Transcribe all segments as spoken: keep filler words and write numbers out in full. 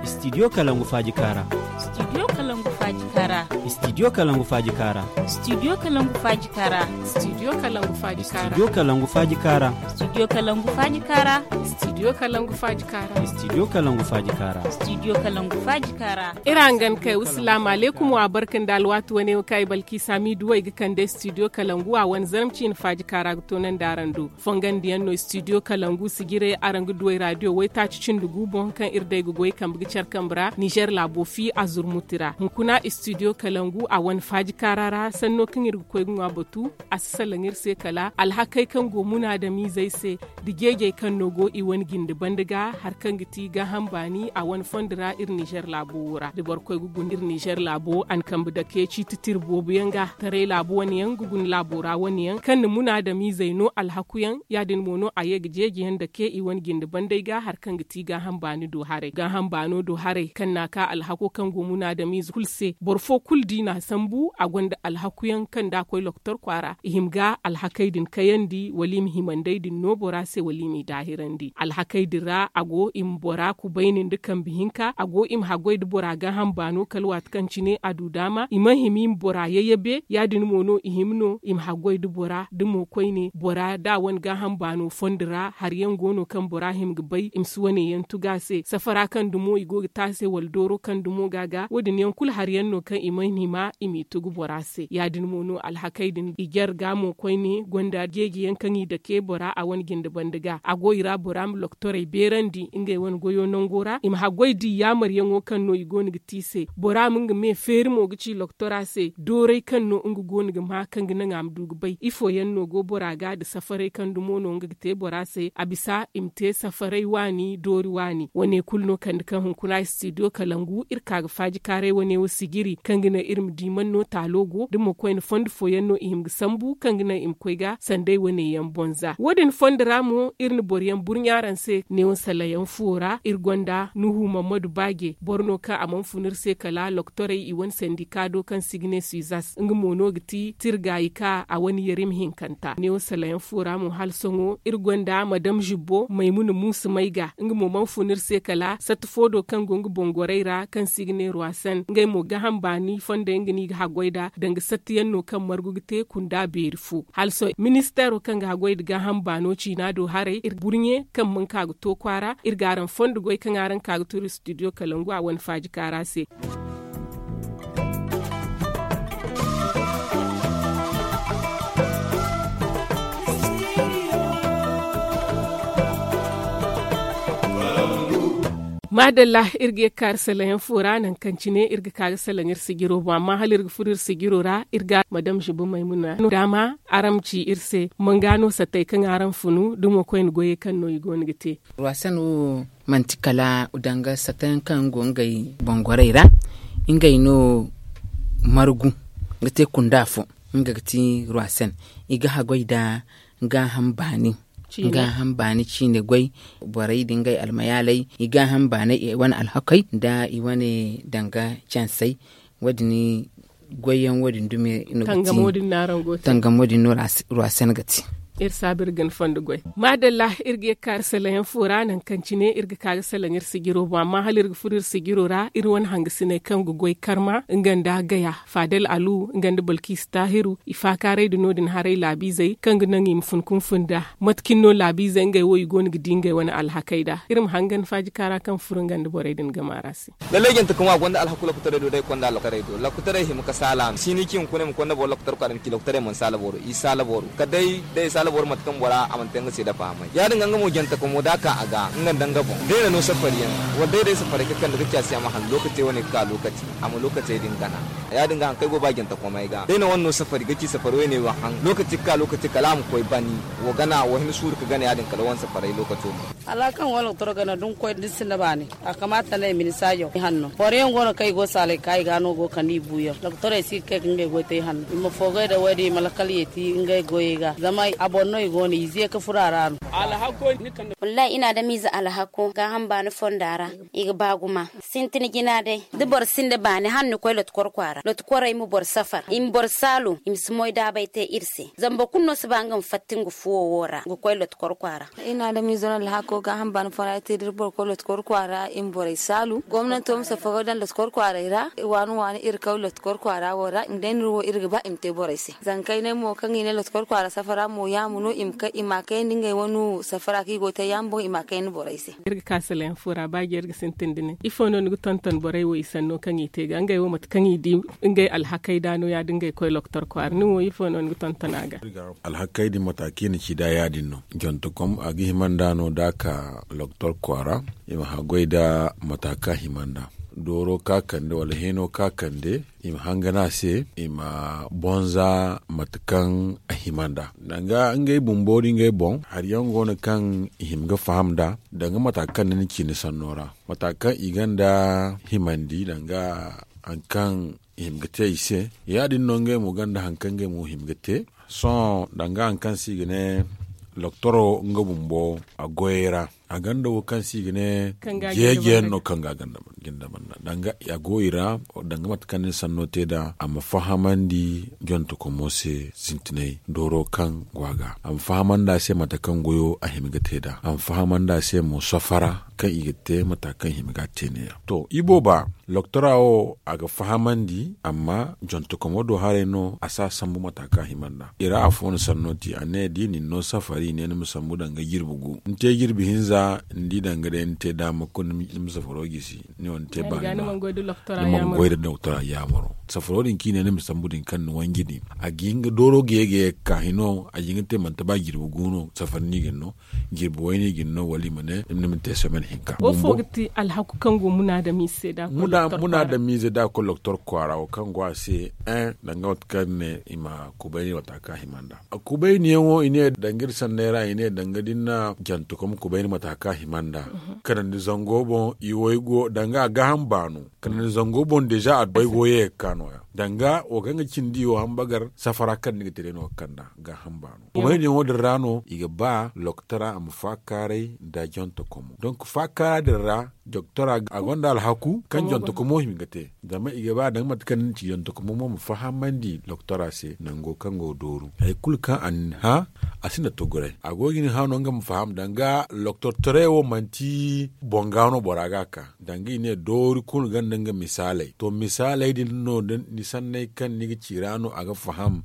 Studio kalangu faaji kaara. Studio kalangu faaji kaara. Studio kalangu faaji kaara. Studio kalangu faaji kaara. Studio kalangu faaji kaara. Studio kalangu faaji kaara. Studio kalangu faaji kaara. Studio kalangu faaji kaara. Studio kalangu faaji kaara. Studio kalangu faaji kaara. Iri hangan kay wasalaamu aleykum wa barka nda alwaati wane wo kaŋ ay balki saami duwey ga kande studio kalangu a wane zarma ciine faaji kaara ga toonandi araŋ do. Fongandiyaŋ no studio kalangu sijirey araŋ ga duwey radio waytaaci cindi gu boŋ kaŋ iri day ga goy kambe ga care kambe ra nizer laabo fi a zurmuti ra hunkuna studio kalangu a wane faaji kaara ra sanno kaŋ iri ga koy ga ŋwa batu. A si salaŋ iri se kala alhakey kaŋ go munaadamizey se da jeejey kaŋ no go i wane jinde banda ga hari kaŋ ga ti gaaham baani a wane fondo ra iri nizer laabo wo ra da boro koy ga guna iri nizer laabo a na kambe dake ciiti tira boobo yaŋ ga taray laabu wane yaŋ ga guna laabo ra wane yaŋ kaŋ na munaadamizey no alhaku yaŋ ya- din mo no a ye ga jeeji yaŋ dake i wane jinde bandey ga hari kaŋ ga ti gaaham baani do haray gaaham baano do haray kaŋ na a ka alhako kaŋ go munaadamize kulu se boro fo kulu da i na a sambu a gonda alhaku yaŋ kaŋ da a koy lokotor kwaara i hima ga alhakey din kayandi wala i ma himandey din no bora se wala i m'i daahirandi alhakey din ra a go i ma bora kubayni nda kambe hinka a go i ma haggoy nda bora gaaham baano kala waati kaŋ cine a du daama i mana hima i ma bora yayabe ya- din mo no i hima no i ma haggoy nda bora da mo koyne bora da a wane gaaham baano fondo ra hari yaŋ go no kaŋ bora hima ga bay i ma si wane yaŋ tugu a se safara kaŋ dumo i go ga te a se wala dooro kaŋ dumo ga a ga wo- din yaŋ kulu hari yaŋ no kaŋ i mana hima i m'i tugu bora se ya- din mo no alhakey din i jare ga mo koyne gonda jeeji yaŋ kaŋ i dake bora a wane jinde banda ga a go i ra bora ma lokotorey beerandi ngey wane goyo nango ra i ma haggoy da i yaamaryaŋo kaŋ no i go no ga te i se bora ma nga me feeri mo ga ci lokotora se doorey kaŋ no nga go no ga ma kaŋ ga naŋ a ma du ga bay ifo yaŋ no go bora ga nda safarey kaŋ dumo no nga ga te bora se a bisa i ma te safarey waani doori waani wane kulu no kande kaŋ hunkuna studio kalangu iri ka ga faaji kaaray wane wo sijiri kaŋ ga naŋ iri ma di man no taalo go da mo koyne fondo fooyaŋ no i hima ga sambu kaŋ ga naŋ i ma koy ga sanday wane yaŋ boŋ za wo- din fondo ra mo iri na boro yaŋ burɲa araŋ se neewo salayaŋ fuwo ra iri gonda nuhu mammadu baaje boro no kaŋ a mana fun iri se kala lokotorey i wane sandika do kaŋ si ga ne suizas nga mo no ga ti tirgaayi ka a wane yarim hinkanta neewo salayaŋ fuwo ra mo hala sohõ iri gonda madam zibbo maymuna muusa may ga nga mo mana fun iri se kala satta fo do kaŋ go nga boŋ gorey ra kaŋ si ga ne ruwasan ngey mo gaaham baani fondo yaŋ ga no i ga haggoy nd'a danga satta yaŋ no kaŋ margu ga te kunda beeri fo hala sohõ ministeero kaŋ ga haggoy nda gaaham baano ciina do haray iri burɲe kaŋ mana ka ga to kwaara iri ga araŋ fondo goy kaŋ araŋ ka ga turu studio kalangu a wane faaji kaara se. Maadalla iri ga ye ga ka iri salaŋ yaŋ fo ra nangu kaŋ cine iri ga ka ga salaŋ iri sijiro boŋ amma hala iri ga furo iri sijiro ra iri ga madam ziba maymuna daama araŋ ma ci iri se manga no sattey kaŋ araŋ funu da mo koyne goyey kaŋ no i go no ga te. Ruwasan wo manti kala danga sattey yaŋ kaŋ go ngey boŋgorey ra ngey no margu ga te kunda fo nga ga ti ruwasan i ga haggoy nda gaaham baani gaaham baani ciine goy borey nda ngey almayaaley i gaaham baaney i wane alhakey nda i wane danga cansey wo- din goyyaŋ wo- din dume no ga ti tangamo din no ruwasen ga ti. Iri saabu iri ga ni fondo goy maadalla iri ga ye ga ka iri salaŋ yaŋ fo ra nangu kaŋ cine iri ga ka ga salaŋ iri sijiro boŋ amma hala iri ga furo iri sijiro ra iri wane hangasiney kaŋ ga goy karma nga nda gaya faadal alu nga nda balkiisa taahiru i faakaaray nda no- din haray laabiizey kaŋ ga naŋ i ma fun ka ma fun nd'a mate cine no laabiizey ngey wo i go no ga di ngey wane alhakey nd'a iri ma hangan faaji kaara kaŋ furo nga nda borey din gama ra se. Lallay jante kaŋ wo a gonda alhaku lokotaray do day konda lokotaray do lokotaray hima ka saala a ma si ni ci hunkuna ay ma konda boro lokotar kwaara ay ma ci lokotaray mana saala boro i saala boro kala day da ay saala boro mate kaŋ bora a mana te nga se da fahamay ya- din ga nga mo jante kaŋ mo da a ka a ga nga nda nga boŋ day na no safari yaŋ wala day day safaray ka kande ga ci a se a ma han lokaci wane ga ka lokaci a ma lokacey din gana. Ya- din ga haŋ kaŋ ay go ba jante komey ga day na wane no safari ga ci safari wayne wo haŋ lokaci ga ka lokaci kala a ma koy bani wo gana wo hima suuru ga gana ya- din kala wane safaray lokaco mo. Alhaka kaŋ go lokotorey gana da ni koy da ni sinda baani a kamaata no ay ma ni saajo i hanno boro yaŋ go no kaŋ i go saalay ka i ga no go kande i buuyaŋ lokotorey si ga kay ka ngey goy te i hanno i ma foogay da wo- din i ma lakkal yeeti ngey goyey ga zama a Boro no i go no i ze ka furo a ra no. Wallahi i na adamize alhako gaaham baani fonda ra. I ga ba gumo sintin jina day da boro sinda baani hala ni koy lotkor kwaara lotkwarey ma boro safar i ma boro saalu i ma si moy daabay te iri se. Zama boro kulu no si ba nga ma fatta nga fuwo wo ra ga koy lotkor kwaara. I na adamize no alhako gaaham baani fonda ra te da iri boro koy lotkor kwaara i ma borey saalu gomnanto ma safaro daŋ lotkor kwaaray ra. Waani waani iri koy lotkor kwaara wo ra i ma day no iri wo iri ga ba i ma te borey se. Zankaynay mo kaŋ i ne lotkor kwaara safara mo yaama no i ma kay i ma a kayandi ngey wane safara kaŋ i go ga te yaama boŋ i ma a kayandi borey se. Iri ga ka salayaŋ fo ra ba jeeri ga sintin da ne ifo no ni ga tonton borey wo i sanno kaŋ i te ga ngey wo mate kaŋ i di ngey alhakey da no ya- din ngey koy lokotor kwaara nin wo ifo no ni ga tonton a ga? Alhakey din mata kaŋ i na ci da ya- din no jontokom a ga hima nd'a no da a ka lokotor kwaara. I ma haggoy nda mata kaŋ a hima nd'a dooro kaŋ a kande wala hino kaŋ a kande. I ma hangan a se i ma bonza mate kaŋ a hima nd'a danga ngey bumbo da ngey boŋ hari yaŋ go no kaŋ i hima ga faham nd'a danga mata kaŋ ni na ci ni sanno ra mata kaŋ i gonda himandi danga hari kaŋ i hima ga te i se. Ya- din no ngey mo gonda hari kaŋ ngey mo hima ga te sohõ danga hari kaŋ se i ga ne loktoro nga bumbo a goyey ra a gonda wo kaŋ se i ga ne jeeje yaŋ no kaŋ ga a ganda banda danga a go i ra danga mate kaŋ ni na sanno te nd'a a ma fahamandi jontokomo se sintinay dooro kaŋ go a ga a ma fahamandi a se mate kaŋ goyo a hima ga te nd'a a ma fahamandi a se mo safara kaŋ i ga te mata kaŋ hima ga a te neeya to ibooba loktora wo a ga fahamandi amma jontokomo do haray no a si a sambu mata kaŋ a hima nd'a i ra afo na sanno te a ne da i na ni no safari i ne ni ma sambu danga jirbi gu ni te jirbi hinza ni di danga day ni te daama kulu ni ma safaro gisi ni wo ni te baani ni mana goy da doktora yaamaro safaro din kaŋ i ne ni ma sambu din kaŋ ni wanji din a ga hin ga dooro ga ye ga ye ga ka hino a ga hin ga te manti ba jirbi gu no safari no i ga ni no jirbi wayne i ga ni no wala i ma ne ni ma te semaine hinka wo fo ga ti alhaku kaŋ go munaadamiize se da a koy doktor kwaara wo kaŋ go a se danga mate kaŋ ni ne i ma kubayni mata kaŋ a hima nd'a kubayni yaŋo i ne danga iri sanney ra i ne danga da ni na jantukom kubayni mata kaŋ a hima nd'a kanandi zango boŋ i waygo danga a gaaham baano kanandi zango boŋ deeza a baygo ye ga ka nooya danga wo kaŋ ga cindi wo hambagar safara kaŋ ni ga te day no ga kand'a gaaham baano kubayni yaŋo din ra no i ga ba loktora a ma faakaaray nda jantukomo donk faakaara din ra doktora a gonda alhaku kaŋ jantukomo hima ga te zama i ga ba danga mate kaŋ ni ci jantukomo mo ma fahamandi doktora se nango kaŋ go ga dooru hari kulu kaŋ a na ni hã a sinda tuguray a go ga ni hã no nga ma faham danga loktor taray wo manti boŋ ga no bora ga a ka danga i ne doori kulu gonda nga misaaley to misaaley din no da ni sanney kaŋ ni ga ci ra no a ga faham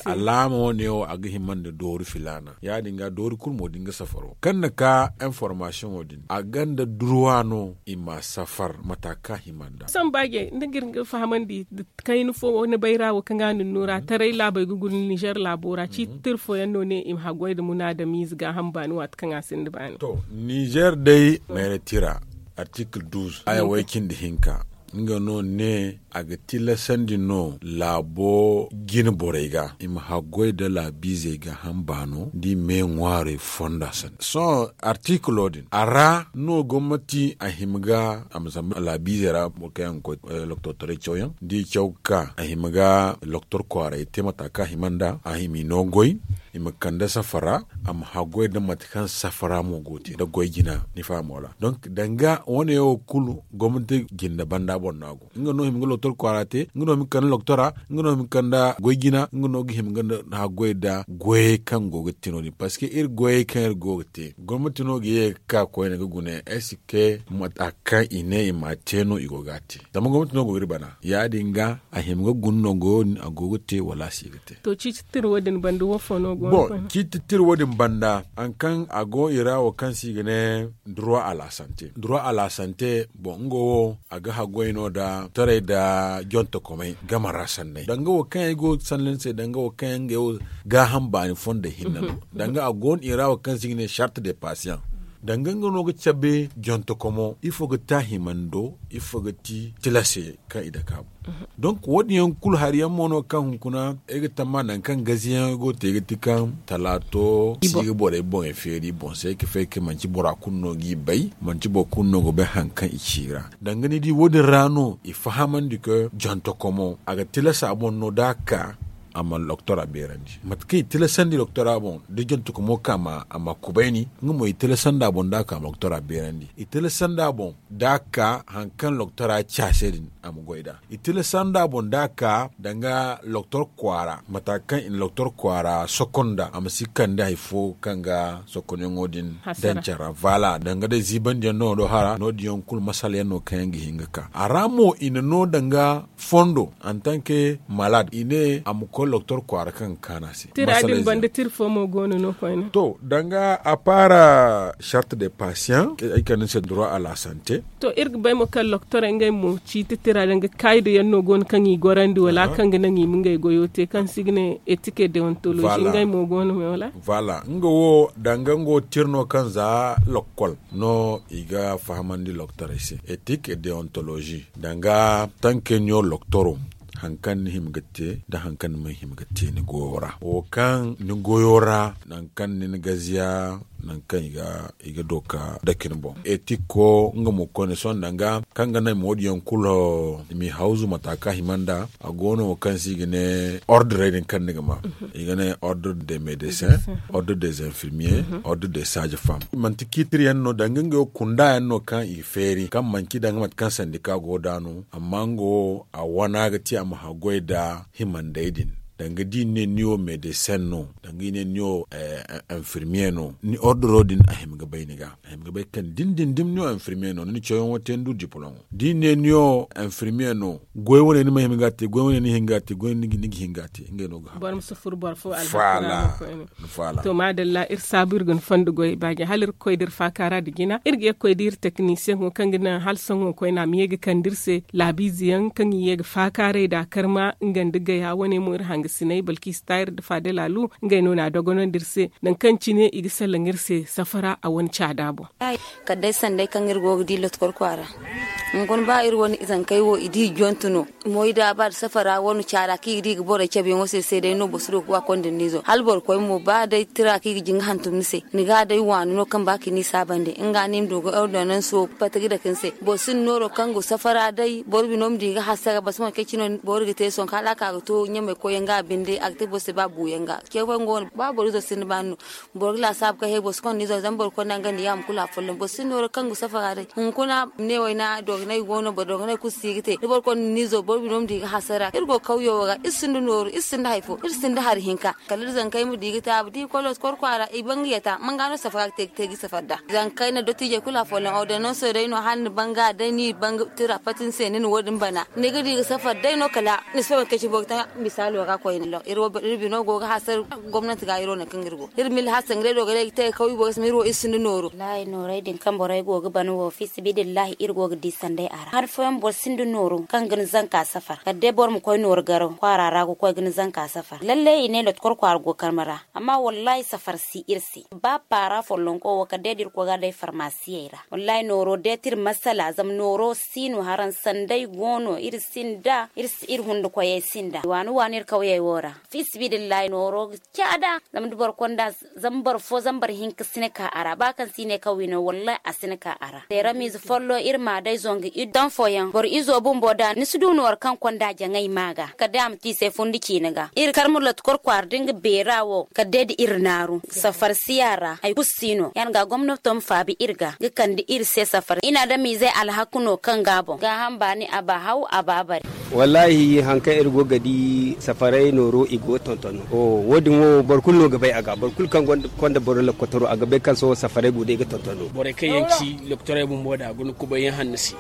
alaama wane wo a ga hima nda doori filaana ya- din ga doori kulu mo da nga safaro kaŋ na ka information wo din a gonda durwa no i ma safar mata kaŋ a hima nd'a samba je ni ga iri ga fahamandi kayna fo ni bayra wo kaŋ ga a na ni no ra taray laabey ga guna nizer laabo ra ciiti tira fooyaŋ no ne i ma haggoy nda munaadamiize gaaham baani waati kaŋ a sinda baani nizer day mayra tira artikil duuz haya way cindi hinka nga no ne a ga tilasandi no laabo jine borey ga i ma haggoy nda laabiizey gaaham baano da i me ŋwaarey fonda sanda sohõ artikilo din a ra no gomnati a hima ga a ma zamba laabiizey ra boro kaŋ yaŋ ga koy loktor taray cawyaŋ da i caw ga ka a hima ga loktor kwaaray te mata kaŋ a hima nd'a a hima i no goy i ma kande safara a ma haggoy nda mate kaŋ safara mo go ga te nda goy jina ni fahamo ra donk danga wane wo kulu gomnati jinda banda boŋ no a go nga no hima ga loktor kwaara te nga no hima ga kande loktora nga no hima ga kande goy jina nga no ga hima ga haggoy nda goyey kaŋ go ga te no- din parceque iri goyey kaŋ iri go ga te gomnati no ga ye ga ka koyne ga guna est ce que mata kaŋ i ne i ma a te no i go ga a te zama gomnati no go ga iri bana ya- din ga a hima ga guna no goyo din a go ga te wala a si ga te to ciiti tira wo- din banda wo fo no go ga koy ciiti tira wo- din banda hari kaŋ a go i ra wo kaŋ se i ga ne droit à la santé droit à la santé boŋ nga wo a ga haggoy no nda taray nda jontokomey game ra sanney danga wo kaŋ yaŋ ay go ga sanni ni se danga wo kaŋ yaŋ ngey wo gaaham baani fondo hinne no danga a go no i ra wo kaŋ se i ga ne charte de patient danga nga no ga cabe jontokomo ifo ga ti a himando ifo ga ti tilase kaŋ i dake a boŋ donk wo- din yaŋ kulu hari yaŋ mo no kaŋ hunkuna ay ga tamma nangu kaŋ gaziyaŋey go ga te ga ti kaŋ talaato si ga borey boŋey feeri boŋ se ay ga fay kaŋ manti bora kulu no g'i bay manti boro kulu no ga bay hari kaŋ i ci i ra danga ni di wo- din ra no i fahamandi kaŋ jantokomo a ga tilasa boŋ no da a ka a ma loktora beerandi. Mate kaŋ i tilasandi loktora boŋ da jantukumo ka ma a ma kubayni, nga mo i tilasandi a boŋ da a ka ma loktora beerandi. I tilasandi a boŋ da a ka hari kaŋ loktora ci a se din, a ma goy nd'a. I tilasandi a boŋ da a ka danga loktor kwaara, mata kaŋ i na loktor kwaara sokonda a ma si kande hari fo kaŋ ga sokonyaŋo din daŋ care ra. Danga day ziibandiyaŋ no do hara no- din yaŋ kulu masala yaŋ no kaŋ yaŋ ga hin ga ka a ra mo i na no danga fondo antanke malad i ne a ma koy loktor kwaara kaŋ ga kaanu a se. Tira din banda tira fo mo go no no koyne. To danga a paara charte de patiyan ay kande ni se droit à la santé. To iri ga bay mo kaŋ loktorey ngey mo ciiti tira danga kaayido yaŋ no go no kaŋ i gorandi wala kaŋ ga naŋ i ma ngey goyo te kaŋ se i ga ne etike deontolozi ngey mo go no me wala? Voilà nga wo danga nga wo tira no kaŋ za lokkol no i ga fahamandi loktorey se etike deontolozi danga tanke niyo loktoro. Hari kaŋ ni hima ga te nda hari kaŋ ni mana hima ga te ni goyo ra wo kaŋ ni goyo ra nangu kaŋ ni na gaziya nangu kaŋ i ga do ka dake ni boŋ etiko nga mo koyne sohõ danga kaŋ ga naŋ i ma wo- din yaŋ kulu i m'i hawzu mata kaŋ a hima nd'a. A go no wo kaŋ se i ga ne ordre din kaŋ ni ga ma i ga ne ordre des médecins, ordre des infirmiers, ordre des sages femmes. Manti ciitiri yaŋ no danga ngey wo kunda yaŋ no kaŋ i feeri kaŋ manci danga mate kaŋ sandika go nd'a no. Amma nga wo a wana ga ti a ma haggoy nda himandey din danga da i ne ni wo medesin no danga i ne ni wo infirmiye no ni ordoro din a hima ga bay ni ga a hima ga bay kaŋ da ni din da ni wo infirmiye no ni na cawyaŋo te ni du diplom. Da i ne ni wo infirmiye no goy wane ni ma hima ga a te goy wane ni hin ga a te goy wane ni ga hin ga a te ngey no ga haggoy. To maadalla iri saabu iri ga ni fondo goy baaji hala iri ga koy da iri faakaara nda jina iri ga ye ga koy da iri teknisiyeŋo kaŋ ga naŋ hala sohõ koyne a ma ye ga kande iri se laabiize yaŋ kaŋ i ye ga faakaaray nda a karma nga nda gaya wane mo iri hangasiney balkiisi taayir nda faada laalu. Ngey no na a dogonandi iri se nangu kaŋ cine i ga salaŋ iri se safara a wane caada boŋ. Kala day sanday kaŋ iri go ga di lotkor kwaara hunkuna ba iri wane izankey wo i di i jontu no. Moy da ba da safara wane caada kaŋ i ga di ga borey cabeyaŋo se se day no boro si du ga wa konda ni n'izo hala boro koy mo ba day tira kaŋ i ga jin ga hantum ni se ni ga day waani no kaŋ ba ka ni saabandi nga no i ma du ga ordonanso pati ga dake ni se. Boro sinda nooro kaŋ go safara day boro bino ma di ga hasara boro si mana kay cino boro ga te sohõ kaŋ hala a ka ga to ɲamey koyyaŋ ga a binde a ga te boro se ba buuyaŋ ga. Ba boro izo sinda baani no boro ga laasaabu kaŋ he boro si konda ni zama boro konda nga nda yaama kulu afolloŋ boro sinda nooro kaŋ ga safara day hunkuna ma ne wayna dogonay go no boro dogonay kulu si ga te da boro konda ni zo boro bino ma di ga hasara iri go kawyo wo ra iri sinda nooru iri sinda hari fo iri sinda hari hinka. Kala iri zankey ma di ga taabu da i koy loskor kwaara i ban ga yata manga no safara ga te ga safar da zankey na dottiijey kulu afolloŋ ordonanso day no hala ni ban ga day ni ban ga tira pati ni se ni na wo- din bana ni ga di ga safar day no kala ni si fay mate kaŋ cine boro ga te misaalo ra koyne iri bino go ga hasara gomnanti ga iri wo nangu kaŋ iri go iri ma iri hasara nga day dogonay ga te ga kaw i boro se ma iri wo iri sinda nooru. Wallaahi noorey din kaŋ borey go ga ban wo fiisabilillahi iri go ga di sanday a ra hari fooyaŋ boro sinda nooru kaŋ ga ni zanka safar kala day boro ma koy nooru garaw kwaara ra ga koy ga ni zanka safar lalle i ne lotkor kwaara go karma ra. Amma wallaahi safar si iri se ba paara follonko wo kala day da iri koy ga a day farmasiyey ra wallaahi nooro deeti iri masala zama nooro si no haraŋ sanday go no iri sinda iri hundukoyey sinda waani waani iri kawyey wo ra. Fiisabilillahi nooro ga caada zama da boro konda zama boro fo zama boro hinka si ni ka a ra ba kaŋ si ne kaŋ wi no wallaahi a si ni ka a ra. Teeramiize follo iri ma a day zongu iri daŋ fooyaŋ boro izo bumbo da ni si du nooro kaŋ konda jaŋay ma ga kala day a ma te i se fundi ciine ga iri karma lotkor kwaara da nga beera wo kala day da iri naaru safar si a ra hari kulu si no ya- din ga gomnato ma faabi iri ga ga kande iri se safar iri na adamiizey alhaku no kaŋ ga a boŋ gaaham baani a ba haw a ba bare. Wallaahi hari kaŋ iri go ga di safaray nooro i go ga tonton no wo- din wo boro kulu no ga bay a ga boro kulu kaŋ konda boro lokotoro a ga bay kaŋ sohõ safaray go day ga tonton no. Borey kaŋ yaŋ ci lokotorey bumbo da guna kubay yaŋ hanno se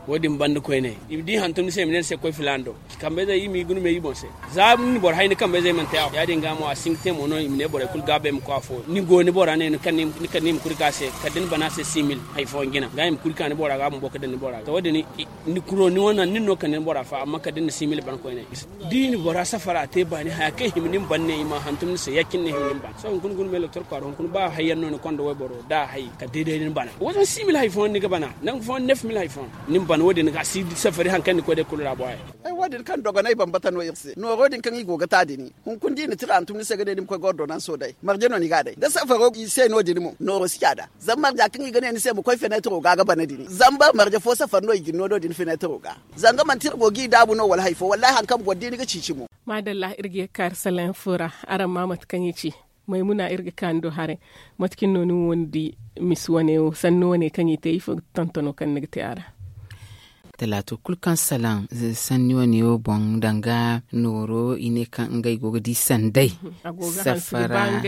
wo- din banda koyne i ma di hantum ni se i ma ne ni se koy filaana do. Kambayzey i m'i guna me i boŋ se za ni boro hay ni kambayzey mana te a fo ya- din ga mo a si hin ga te mo no i ma ne borey kulu gaabey ma koy afo ni go ni bora ne ni kande i ma kuri ga a se kala da ni bana se six mille hari fooyaŋ jina ga i ma kuri ka ni bora ga bumbo ga daŋ ni bora ga to wo- din ni kuro ni wane nin no kande ni bora fa amma kala da ni na six mille bana koyne. Da i na bora safara te baani haya kaŋ hima ni ma ban ne i ma hantum ni se ya- cine ni hima ni ma ban sohõ hunkuna guna me lokotor kwaara hunkuna ba hayyaŋ no ni konda wayboro da a hay kala day day ni bana wo- din six mille hari fooyaŋ ni ga bana nangu fooyaŋ neuf mille hari fooyaŋ. Ni ma ban wo- din ga si safari hari kaŋ ni koy day kulu ra bo haya. Ay wo- din kaŋ dogonay bambata no iri se nooro din kaŋ i go ga ta din. Hunkuna da i na tira hantum ni se ga ne ni ma koy ga ordonanso day marje no ni ga a day da safaro i se no- din mo nooro si caada. Zama marja kaŋ i ga ne ni se ma koy fenetiro ga ga bana din zama ba marje fo safari no i ga ni no no- din fenetiro ga. Zanga manti iri go ga i daabu no wala hari fo wallahi hari kaŋ boro di ni ga ciici mo. Maadalla iri ga ye ga kaari salaŋ fo ra. Araŋ ma mate kaŋ i ci maymuna iri ga kaani do haray. Mate cine no ni wo ni di misi wane wo sanni wane kaŋ i te ifo ga tontono kaŋ ni ga te a ra? Talaato kulu kaŋ salaŋ sanni wane wo boŋ danga nooro i ne kaŋ ngey go ga di sanday. Safara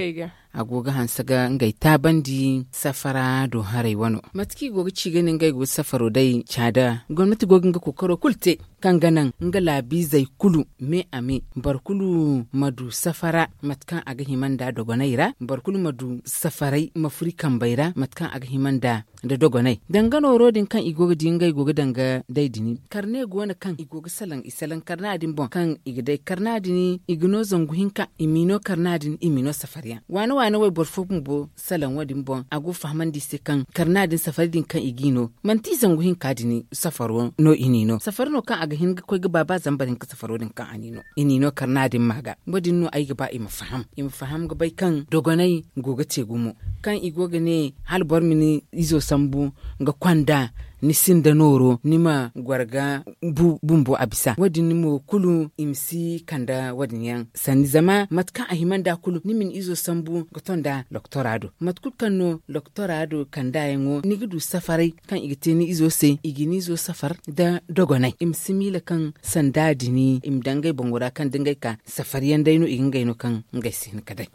a go ga hanse ga ngey taabandi safara do haray wano mate kaŋ i go ga ci ga ne ngey go ga safaro day caada gomnati go ga nga kookaro kulu te kaŋ ga naŋ nga laabiizey kulu me a me boro kulu ma du safara mate kaŋ a ga hima nda dogoney ra boro kulu ma du safaray ma furo i kambey ra mate kaŋ a ga hima nda nda dogoney danga nooro din kaŋ i go ga di ngey go ga danga day din karne go no kaŋ i go ga salaŋ i salaŋ karna din boŋ kaŋ i ga day karna din i ga no zangu hinka i m'i no karna din i m'i no safariyaŋ waane waane wayboro fo bumbo salaŋ wo- din boŋ a go fahamandi i se kaŋ karna din safari din kaŋ i g'i no manti zangu hinka din safaro no i n'i no safari no kaŋ a ga hin ga koy ga ba ba zambar hinka safaro din kaŋ a n'i no i n'i no karna din ma ga wo- din no ay ga ba i ma faham i ma faham ga bay kaŋ dogonay go ga te gumo kaŋ i go ga ne hala boro ma ni izo sambu ga konda ni sinda nooro ni ma goro ga bu bumbo a bisa wo- din mo kulu i ma si kanda wo- din yaŋ sanni zama mate kaŋ a hima nda kulu ni ma ni izo sambu ga to nda loktora do mate kulu kaŋ no loktora do kanda yaŋo ni ga du safaray kaŋ i ga te ni izo se i ga ni izo safar nda dogonay i ma si miila kaŋ sanda din i ma dangay boŋo ra kaŋ da ngey ka safar yaŋ day no i ga ngey no kaŋ ngey si hin ka day.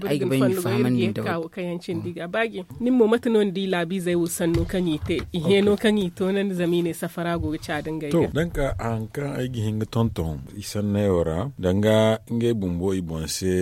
Ay ga bay ma fahamandi nda wo- din kawo kaŋ yaŋ cindi ga baaji nin mo mate no ni di laabiizey wo sanno kaŋ i te i hẽ no kaŋ i toonandi zama i ne safara go ga caada ngey ga to danka hari kaŋ ay ga hin ga tonton i sanney wo ra danga ngey bumbo i boŋ se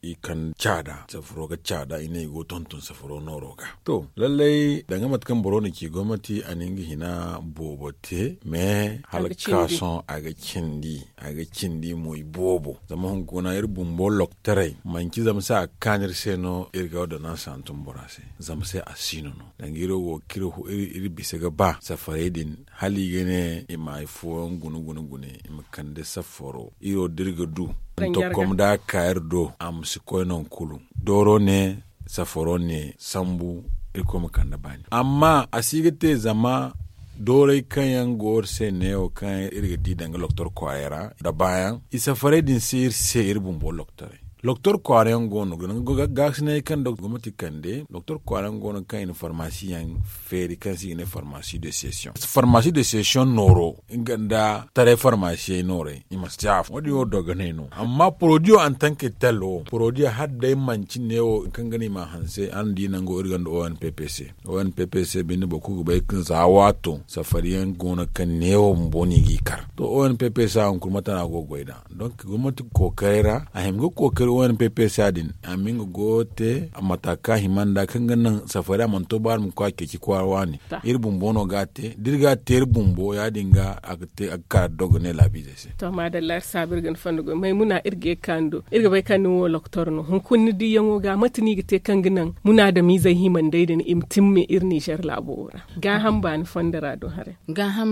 i kande caada safaro ga caada i ne i go ga tonton safaro nooro ga to lallay danga mate kaŋ boro na ci gomnati a na nga hina boobo te mais hala ga ka sohõ a ga cindi a ga cindi mo i boobo zama hunkuna iri bumbo loktorey manci zama se a ga kaanu iri se no iri ga ordonansa hantum bora se zama se a siino no danga iri wo ga iri bisa ga ba safarey din hala i ga ne i ma hari fooyaŋ guna guna guna i ma kande safaro iri wo da iri ga du nta kom da a ga ka iri do a ma si koy nangu kulu dooro ne safaro ne sambu irkoy ma kande baani amma a si ga te zama dooray kaŋ yaŋ go iri se neewo kaŋ iri ga di danga loktor kwaaray ra nda baayaŋ i safarey din si iri se iri bumbo loktorey loktor kwaara yaŋ go no gaasinay kaŋ nda gomnati kande loktor kwaara yaŋ go no kaŋ i na farmasi yaŋ feeri kaŋ se i ga ne farmasi de session farmasi de session nooro nga nda taray farmasiyey nooray i ma si te afo wo- din wo dogonay no amma porodiyo antanke tel wo porodiyo hala day manci neewo kaŋ ga no i ma hanse araŋ di nango iri gonda o n p p c o n p p c binde boro kulu ga bay kaŋ za waato safari yaŋ go no kaŋ neewo bumbo no i g'i kar to o n p p c hunkuna mate no a go ga goy nd'a donk gomnati kookaray ra a hima ga kookari o n p p c din a ma nga goyo te mata kaŋ a hima nd'a kaŋ ga naŋ safari a mana to ba a ma koy a ceeci kwaara waani iri bumbo no ga a te da iri ga a te iri bumbo ya- din ga a ga te a ga ka dogonay laabiizey se to maadalla iri saabu iri ga ni fondo goy maymuna iri ga ye ga kaanu do iri ga bay kaŋ ni wo loktor no hunkuna ni diyaŋo ga mate no i ga te kaŋ ga naŋ munaadamiizey himandey din i ma timme iri nizer laabo wo ra gaaham baani fondo ra do haray gaaham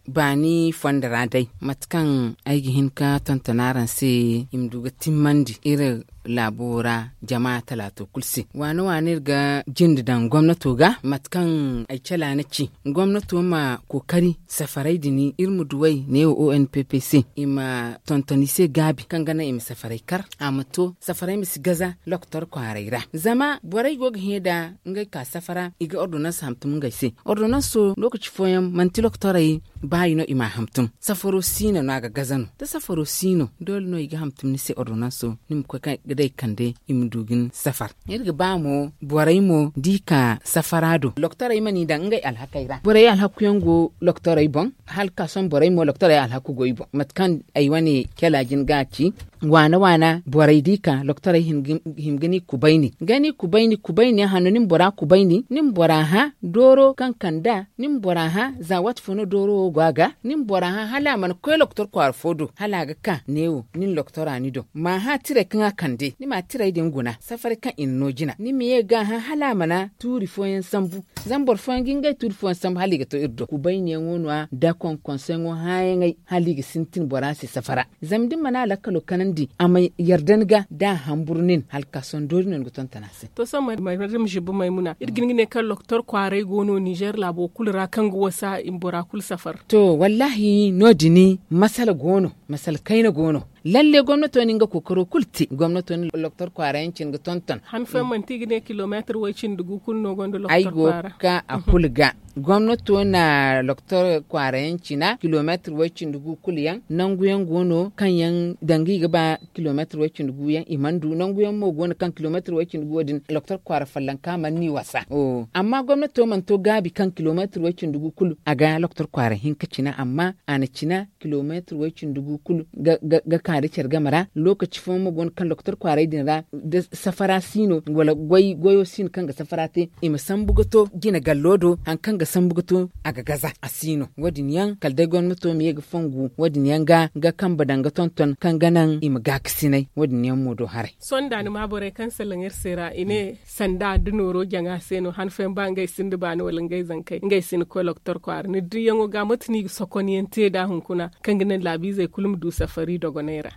baani fondo ra day mate kaŋ ay ga hin ga tonton araŋ se i ma du ga timmandi iri laabo ra jama talaato kulu se waane waane iri ga jinde daŋ gomnato ga mate kaŋ ay cala ni ci gomnato ma kookari safarey din iri ma duw'ey neewo o n p p c i ma tonton i se gaabi kaŋ ga naŋ i ma safarey kar a ma to safarey ma si gaza loktor kwaaray ra zama borey go ga hẽ nda ngey ka safara i ga ordonans hantum ngey se ordonanso lookaci fooyaŋ manti loktorey baayi no i m'a hantum safaro siino no a ga gaza no da safaro siino doole no i ga hantum ni se ordonanso ni ma koy ga day kande i ma du ga ni safar iri ga ba mo borey mo da i ka safara do loktorey ma n'i daŋ ngey alhakey ra borey alhaku yaŋ go loktorey boŋ hala ka sohõ borey mo loktorey alhaku go i boŋ mate kaŋ ay wane cala jin ga a ci waana waana borey da i ka loktorey hima ga ni kubayni ga ni kubayni kubayni hanno ni ma bora kubayni ni ma bora hã dooro kaŋ kand'a ni ma bora hã za waati fo no dooro wo go a ga ni ma bora hã hala a mana koy loktor kwaara fo do hala a ga ka neewo nin loktora ni do ma hã tirey kaŋ a kande te ni ma tiray din guna safaray kaŋ i na no jina ni ma ye ga a hã hala a mana tuuri fooyaŋ sambu. Zama boro fooyaŋ ga ngey tuuri fooyaŋ sambu hala i ga to iri do kubayniyaŋo no- ya da konkonseyaŋo hãyaŋey hala i ga sintin bora se safara. Zama da ni mana a lakkalo kanandi a ma yarda ni ga da a hamburu nin hala ka sohõ doori no ni ga tonton a se. To sohõ madam zibu maymuna iri ga hin ga ne kaŋ loktor kwaaray go no ninzeer laabo kulu ra kaŋ ga wasa i ma bora kulu safar. To wallaahi no- din masala go no, masala kayna go no. Lalle gomnato na nga kookaro kulu te gomnato na loktor kwaara yaŋ cine ga tonton. Han fooyaŋ manti i ga ne kilomeetir way- cindi gu kulu no gonda loktor kwaara. Ay go ga ka a kulu ga gomnato na loktor kwaara yaŋ cina kilomeetir way- cindi gu kulu yaŋ nangu yaŋ go no kaŋ yaŋ danga i ga ba kilomeetir way- cindi gu yaŋ i mana du nangu yaŋ mo go no kaŋ kilomeetir way- cindi gu wo- din loktor kwaara follonka mana ni wasa. Amma gomnato mana to gaabi kaŋ kilomeetir way- cindi gu kulu a ga loktor kwaara hinka cina amma a na cina kilomeetir way- cindi gu kulu ga ka nda care game ra. Lookaci fooyaŋ mo go no kaŋ lokotor kwaaray din ra da safara si no wala goyo si no kaŋ ga safara te i ma sambu ga to jine gallo do hari kaŋ ga sambu ga to a ga gaza a si no wo- din yaŋ kala day gomnato ma ye ga fongu wo- din yaŋ ga ga kambe daŋ ga tonton kaŋ ga naŋ i ma gaakasinay wo- din yaŋ mo do haray. Sohõ da ni ma borey kaŋ salaŋ iri se ra i ne sanda da nooro jaŋa se no han fooyaŋ ba ngey sinda baani wala ngey zankey ngey si ni koy lokotor kwaara ni diyaŋo ga mate no i ga sokon yaŋ te nd'a hunkuna kaŋ ga naŋ laabiizey kulu ma du safari dogonay ra.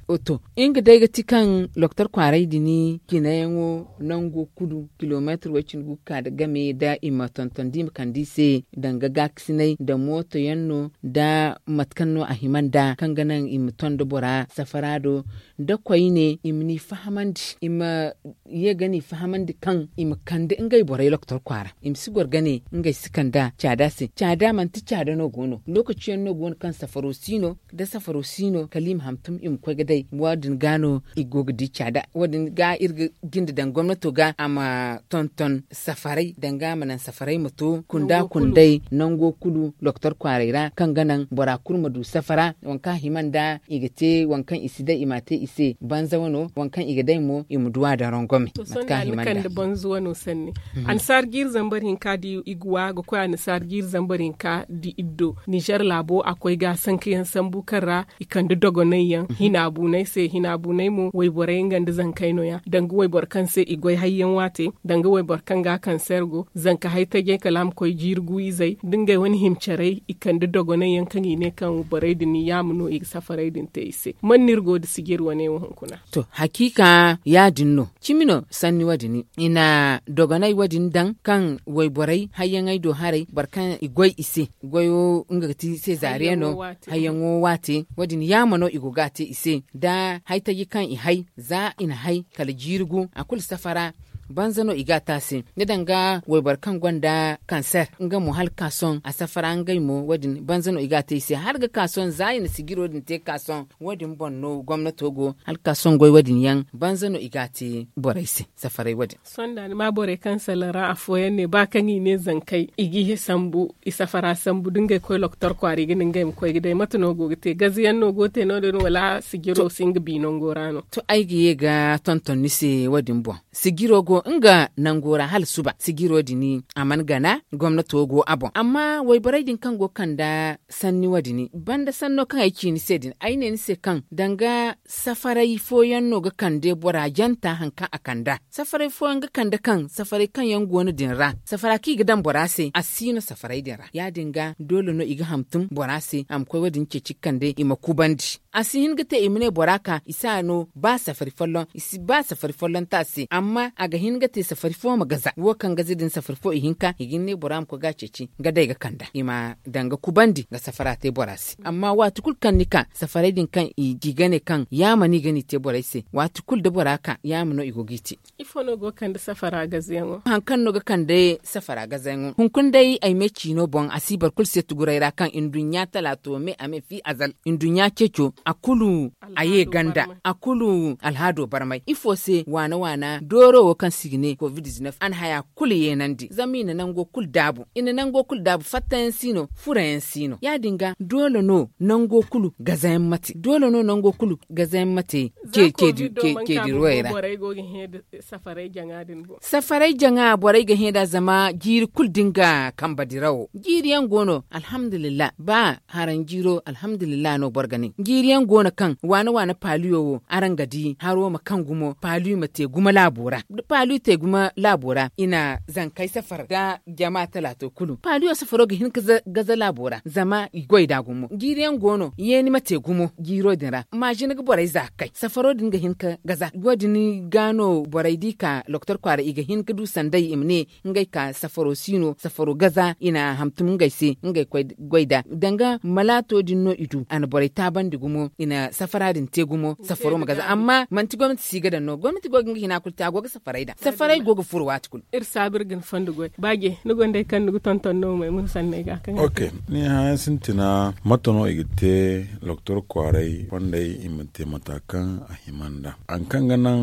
Nga day ga ti kaŋ lokotor kwaaray din cinayaŋo nango kulu kilomeetir way- cindi gu ga ka nda game da i ma tonton da i ma kande i se danga gaakasinay nda mooto yaŋ no nda mate kaŋ no a hima nda kaŋ ga naŋ i ma ton nda bora safara do nda koyne i ma ni fahamandi i ma ye ga ni fahamandi kaŋ i ma kande ngey borey lokotor kwaara i ma si goro ga ne ngey si kand'a caada se caada manti caada no go no lookaci yaŋ no go no kaŋ safaro si no da safaro si no kala i ma hantum i ma koy ga day wo- din ga no i go ga di caada wo- din ga iri ga jinde daŋ gomnato ga a ma tonton safaray danga a ma naŋ safaray ma to kunda kunday nango kulu lokotor kwaaray ra kaŋ ga naŋ bora kulu ma du safara waŋ kaŋ a hima nda i ga te waŋ kaŋ i si day i m'a te i se banza wano waŋ kaŋ i ga day mo i ma du a daŋ rongome. Mate kaŋ a hima nda banza wano sanni annasaara jiiri zambar hinka da i ga wa ga koy annasaara jiiri zambar hinka da iri do ninzeer laabo a koy ga sanka yaŋ sambu kaŋ ra i kande dogonay yaŋ hina bunay se hina bunay mo wayborey nga nda zankey no- ya danga wayboro kaŋ se i goy hayyaŋ waate danga wayboro kaŋ ga kanseer go zanka hay tajey kala a ma koy jiiri gu izey da ngey wane hima carey i kande dogonay yaŋ kaŋ i ne kaŋ borey din yaama no i ga safarey din te i se man no iri go nda sijir wane wo hunkuna. To hakiika ya- din no cimi no sanni wo- din i na dogonay wo- din daŋ kaŋ wayborey hayyaŋey do haray boro kaŋ i goy i se goyo nga ga ti sezaariya no hayyaŋo waate wo- din yaama no i go ga a te i se da hay taji kaŋ i hay za i na hay kala jiiri gu a kulu safara banza no i ga a te a se ni danga wayboro kaŋ gonda kanseer nga mo hala ga ka sohõ a safara ngey mo wo- din banza no i ga a te i se hala ga ka sohõ za i na sijiro din te ga ka sohõ wo- din boŋ no gomnato go hala ga ka sohõ goy wo- din yaŋ banza no i ga a te borey se safaray wo- din. Sohõ da ni ma borey kaŋ salaŋ ra afooyaŋ ne ba kaŋ i ne zankey i ga i sambu i safara sambu da ngey koy lokotor kwaara i ga ne ngey ma koy ga day mate no go ga te gaze yaŋ no go ga te no- din wala sijiro si nga bi nango ra no? To ay ga ye ga tonton ni se wo- din boŋ sijiro go nga nango ra hala suba sijiro din a mana gana gomnato go a boŋ amma wayborey din kaŋ go ga kande sanni wo- din banda sanno kaŋ ay ci ni se din ay ne ni se kaŋ danga safaray fooyaŋ no ga kande bora janta hari kaŋ a kand'a safaray fooyaŋ ga kande kaŋ safaray kaŋ yaŋ go no din ra safara kaŋ i ga daŋ bora se a si no safaray din ra ya- din ga doole no i ga hantum bora se a ma koy wo- din ceeci ga kande i ma kubandi a si hin ga te i ma ne bora ka i si a no ba safari folloŋ i si ba safari folloŋ te a se amma a ga hin ga te safari fo ma gaza wo kaŋ gaza din safari fo ihinka i ga hin ne bora ma koy ga a ceeci nga day ga kand'a i ma daŋ ga kubandi ga safara te bora se amma waati kulu kaŋ ni ka safaray din kaŋ i ga ne kaŋ yaama no i ga ni te borey se waati kulu da bora ka yaama no i go ga i te. Ifo no go ga kande safara gazayaŋo? Hari kaŋ no ga kande safara gazayaŋo hunkuna day ay me ciino boŋ a si boro kulu se tuguray ra kaŋ nduɲɲa talaato me a me fi azal nduɲɲa ceeco a kulu a ye ganda a kulu alhaado barmay ifo se waana waana dooro wo kaŋ se i ga ne covid-19 a na haya kulu yeenandi zama i na nango kulu daabu i na nango kulu daabu fattayaŋ si no furayaŋ si no ya- din ga doole no nango kulu gazayaŋ ma te doole no nango kulu gazayaŋ ma te. Ceedi ruwey ra safaray jaŋa borey ga hẽ nd'a zama jiiri kulu da nga kambe dirawo jiiri yaŋ go no alhamdulillah ba haraŋ jiiro alhamdulillah no boro ga ne jiiri Yaŋ go no kaŋ waana waana paaliyo wo araŋ ga di haro ma kaŋ gumo paaliyo ma te gumo laabo ra. Da paaliyo te gumo laabo ra i na zankey safar nda jama talaato kulu paaliyo safaro ga hin ka gaza laabo ra zama i goy nd'a gumo jiiri yaŋ go no yeeni ma te gumo jiiro din ra maazin ga borey za ga kay safaro din ga hin ka gaza wo- din ga no borey da i ka doktor kwaara i ga hin ka du sanday i ma ne ngey ka safaro si no safaro gaza i na hantum ngey se ngey koy goy nd'a danga malaato din no i du a na borey taabandi gumo i na safara din te gumo safaro ma gaza amma manti gomnati si ga daŋ no gomnati go ga nga hina kulu te a go ga safaray daŋ safaray go ga furo waati kulu. Iri saabu iri ga ni fondo goy baaje ni gonda hari kaŋ ni ga tonton no may mun sanney ga kaŋ. Ok. Ni haya sintina mate no i ga te doktor kwaaray fondey i ma te mata kaŋ a hima nd'a hari kaŋ ga naŋ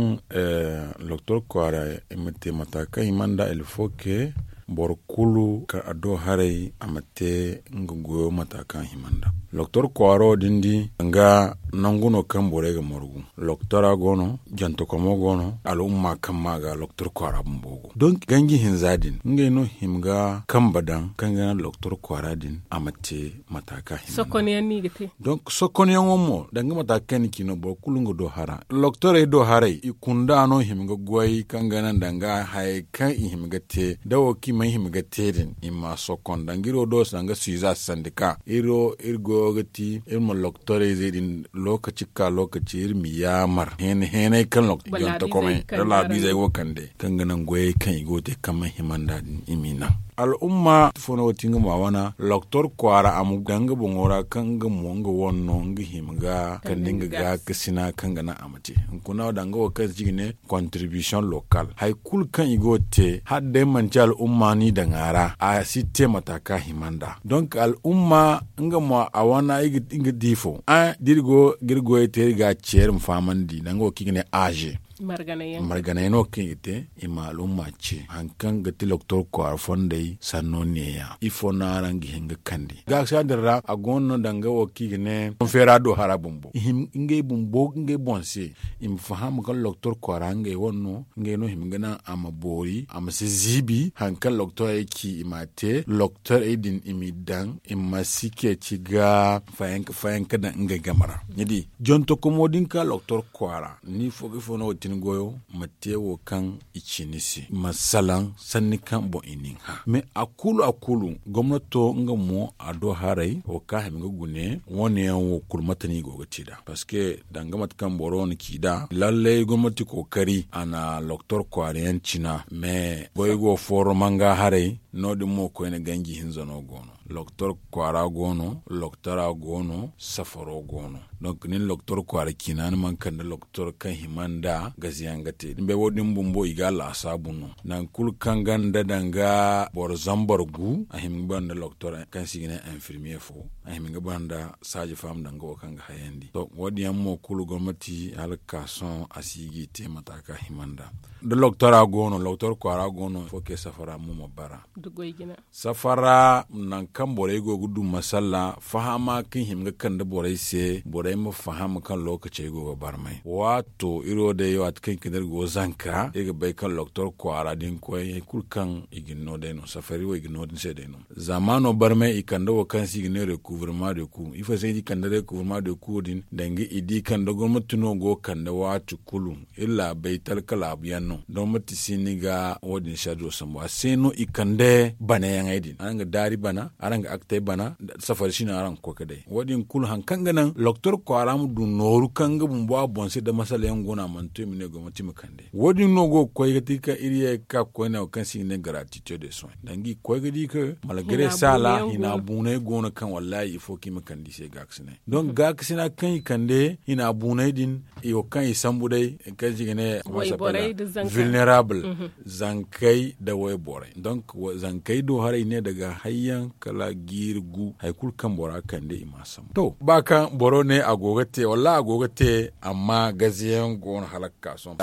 doktor kwaaray i ma te mata kaŋ hima nd'a ilfoke boro kulu kaŋ a do haray a ma te nga goyo mata kaŋ a hima nd'a doktor kwaaro din di nga nangu no kaŋ borey ga margu doktora go no jantakomo go no al'umma kaŋ ma ga doktor kwaara bumbo go donk ganji hinza din ngey no hima ga kambe daŋ kaŋ ga naŋ doktor kwaara din a ma te mata kaŋ a hima nd'a. Donk sokonyaŋo mo danga mata kaŋ ni ci no boro kulu nga do hara doktorey do haray i kunda no hima ga goy kaŋ ga naŋ danga hayey kaŋ i hima ga te da wo kaŋ i mana hima ga te din i ma sokon danga iri wo do danga suiza sandika iri wo iri goyo ga ti iri ma doktorayzey din lokaci ka lokaci iri ma yaamar heene heenay kaŋ doktor jontokomey da laabiizey go kande kaŋ ga naŋ goyey kaŋ i go ga te kaŋ mana hima nd'a din i m'i naŋ al'umma ifo no ga ti nga ma wana doktor kwaara a ma daŋ nga boŋo ra kaŋ nga mo nga wane no nga hima ga kande nga gaakasina kaŋ ga naŋ a ma te hunkuna danga wo kaŋ se i ga ne contribution local hari kulu kaŋ i go ga te hala day manti al'umma no i daŋ a ra a si te mata kaŋ a hima nd'a donk al'umma nga mo a wana nga di fo da iri go ga iri goyey te iri ga a ceeri ma fahamandi danga wo kaŋ i ga ne aze marganay no kaŋ i ga te i ma al'umma ce hari kaŋ ga ti doktor kwaara fondey sanno neeya ifo no araŋ ga hin ga kande gaakasa din ra a go no danga wo kaŋ i ga ne konfeera do hara bumbo i hima ngey bumbo ngey boŋ se i ma faham kaŋ doktor kwaara ngey wane no ngey no hima ga naŋ a ma boori a ma si ziibi hari kaŋ doktorey ci i m'a te doktorey din i m'i daŋ i ma si ceeci ga fayanka fayanka daŋ ngey game ra ni di jontokomo din ka doktor kwaara ni fo ga ifo no ga ti ni goyo ma te wo kaŋ i ci ni se ma salaŋ sanni kaŋ boŋ i na ni hã mais a kulu a kulu gomnato nga mo a do haray wo kaŋ a hima ga gune wane yaŋ wo kulu mate no i go ga te nd'a parceque danga mate kaŋ boro wane ci nd'a lallay gomnati kookari a na doktor kwaara yaŋ cina mais goy go fooro manga haray no- din mo koyne ganji hinza no go no doktor kwaara go no doktora go no safaro go no donk nin doktor kwaara ciina ni mana kande doktor kaŋ hima nda gaziyaŋ ga te ni bay wo- din bumbo i ga a laasaabu no nangu kulu kaŋ ganda danga boro zambar gu a hima ga bara nda doktor kaŋ se i ga ne infirmiye fo a hima ga bara nda saaji faam danga wo kaŋ ga hayandi to wo- din yaŋ mo kulu gomnati hala ga ka sohõ a si ga i te mata kaŋ a hima nda da doktora go no doktor kwaara go no fo kay safara mo ma bara safara nangu kaŋ borey go ga du masalla fahama kaŋ hima ga kande borey se borey ma faham kaŋ lookacey go ga barmay waato iri wo day waati kaŋ i kande iri go zanka iri ga bay kaŋ doktor kwaara da ni koy hari kulu kaŋ i ga ni no day no safari wo i ga no din se day no zaamaano barmay i kande wo kaŋ se i ga ne recouvre ma de ku ifo se i di kande recouvre ma de ku din danga i di kaŋ da gomnati no go ga kande waati kulu iri laabey talka laabu yaŋ no da manti si ni ga wo- din sharjo sambu a se no i kande bana yaŋey din araŋ ga daari bana araŋ ga aktey bana safari si no araŋ ga koy ga day wo- din kulu hari kaŋ ga naŋ loktor kwaara ma du nooru kaŋ nga bumbo a boŋ se da masala yaŋ go no a mana to i ma ne gomnati ma kande wo- din no go ga koy ga ti kaŋ iri ye ga ka ga koy ne wo kaŋ se i ga ne garatite de soin danga i ga koy ga di kaŋ malgare saala hina buunay go no kaŋ wallahi ifo kaŋ i ma kande i se gaakasinay donc gaakasina kaŋ i kande hina buunay din i wo kaŋ i sambu day kaŋ se i ga ne vulnerable zankey nda wayborey donc zankey do haray i ne daga hayyaŋ kala jiiri gu hari kulu kaŋ bora kande i ma a sambu to ba kaŋ boro ne a go ga te wallaahi a go ga te amma gazeyaŋ go no hala ga ka sohõ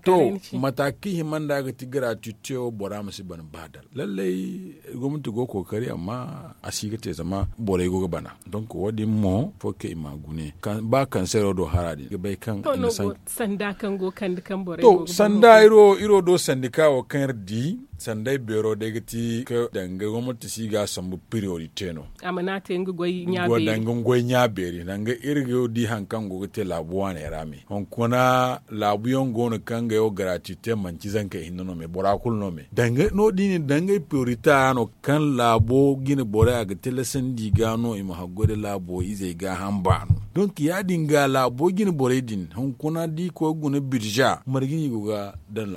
to mata kaŋ i hima nda ga ti garatite wo bora ma si ban ba dala lallay gomnati go kookari amma a si ga te zama borey go ga bana donc wo- din mo fo kaŋ i ma gune ba kansero do hara din ga bay kaŋ i na sanda kaŋ go kande kaŋ borey go ga bana to sanda iri wo do sandika wo kaŋ iri di Sanday beero day ga ti ka danga gomnati si ga a sambu priorite no. A mana te nga goy ɲa beeri. Danga nga goy ɲa beeri danga iri ga di hari kaŋ go ga te laabu waaney ra me hunkuna laabu yaŋ go no kaŋ ga yaw garati te manci zanka ihinne no me bora kulu no me danga no- da i na danga i priorite ra no kaŋ laabo jine borey a ga tilasandi ga no i ma haggoy nda laabo izey gaaham baano. Donk ya- din ga laabo jine borey din hunkuna da i koy ga guna birza marga no i go ga daŋ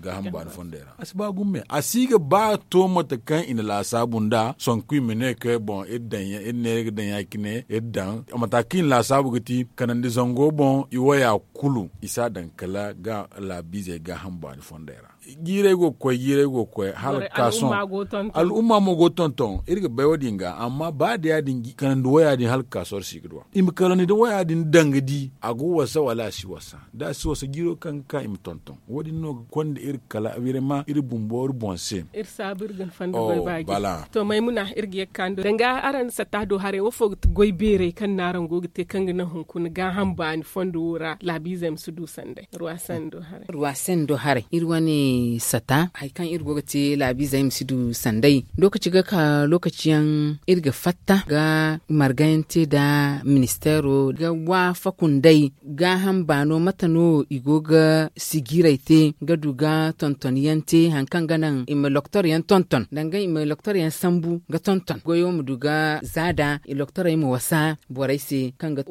gaaham baano fondey ra? A si ba gumo me a si ga ba to mate kaŋ i na laasaabu nd'a sonku i ma ne kay boŋ iri daŋ iri ne iri ga daŋ ya- cine iri daŋ mata kaŋ i na laasaabu ga ti kanandi zango boŋ i waya kulu i si a daŋ kala laabiizey gaaham baani fondey ra. Jiirey go ga koy jiirey go ga koy hala ga ka sohõ al'umma mo go ga tonton iri ga bay wo- din ga amma ba da ya- din kanandi waya din hala ga ka sohõ iri si ga du a i ma kanandi nda waya din daŋ ga di a go wasa wala a si wasa da a si wasa jiiro kaŋ ga ka i ma tonton wo- din no ga konda iri kala iri ma iri bumbo iri boŋ se. Iri saabu iri ga ni fanda goy baaji. To maymuna iri ga ye ga ka ni do danga araŋ satta do haray wo fo ga ti goy beeray kaŋ no araŋ go ga te kaŋ ga naŋ hunkuna gaaham baani fondo wo ra laabiizey ma si du sanday ruwa sando haray. Ruwa sando haray iri wane sata hari kaŋ iri go ga te laabiizey ma si du sanday. Lookaci ga ka lookaci yaŋ iri ga fatta ga marga yaŋ te nda ministeero ga waafaku nd'ey gaaham baano mate no i go ga sijiray te ga du ga tonton yaŋ te hari kaŋ ga naŋ i ma loktor yaŋ tonton danga i ma loktor yaŋ sambu ga tonton goyo ma du ga za nd'a i loktorey ma wasa borey se kaŋ ga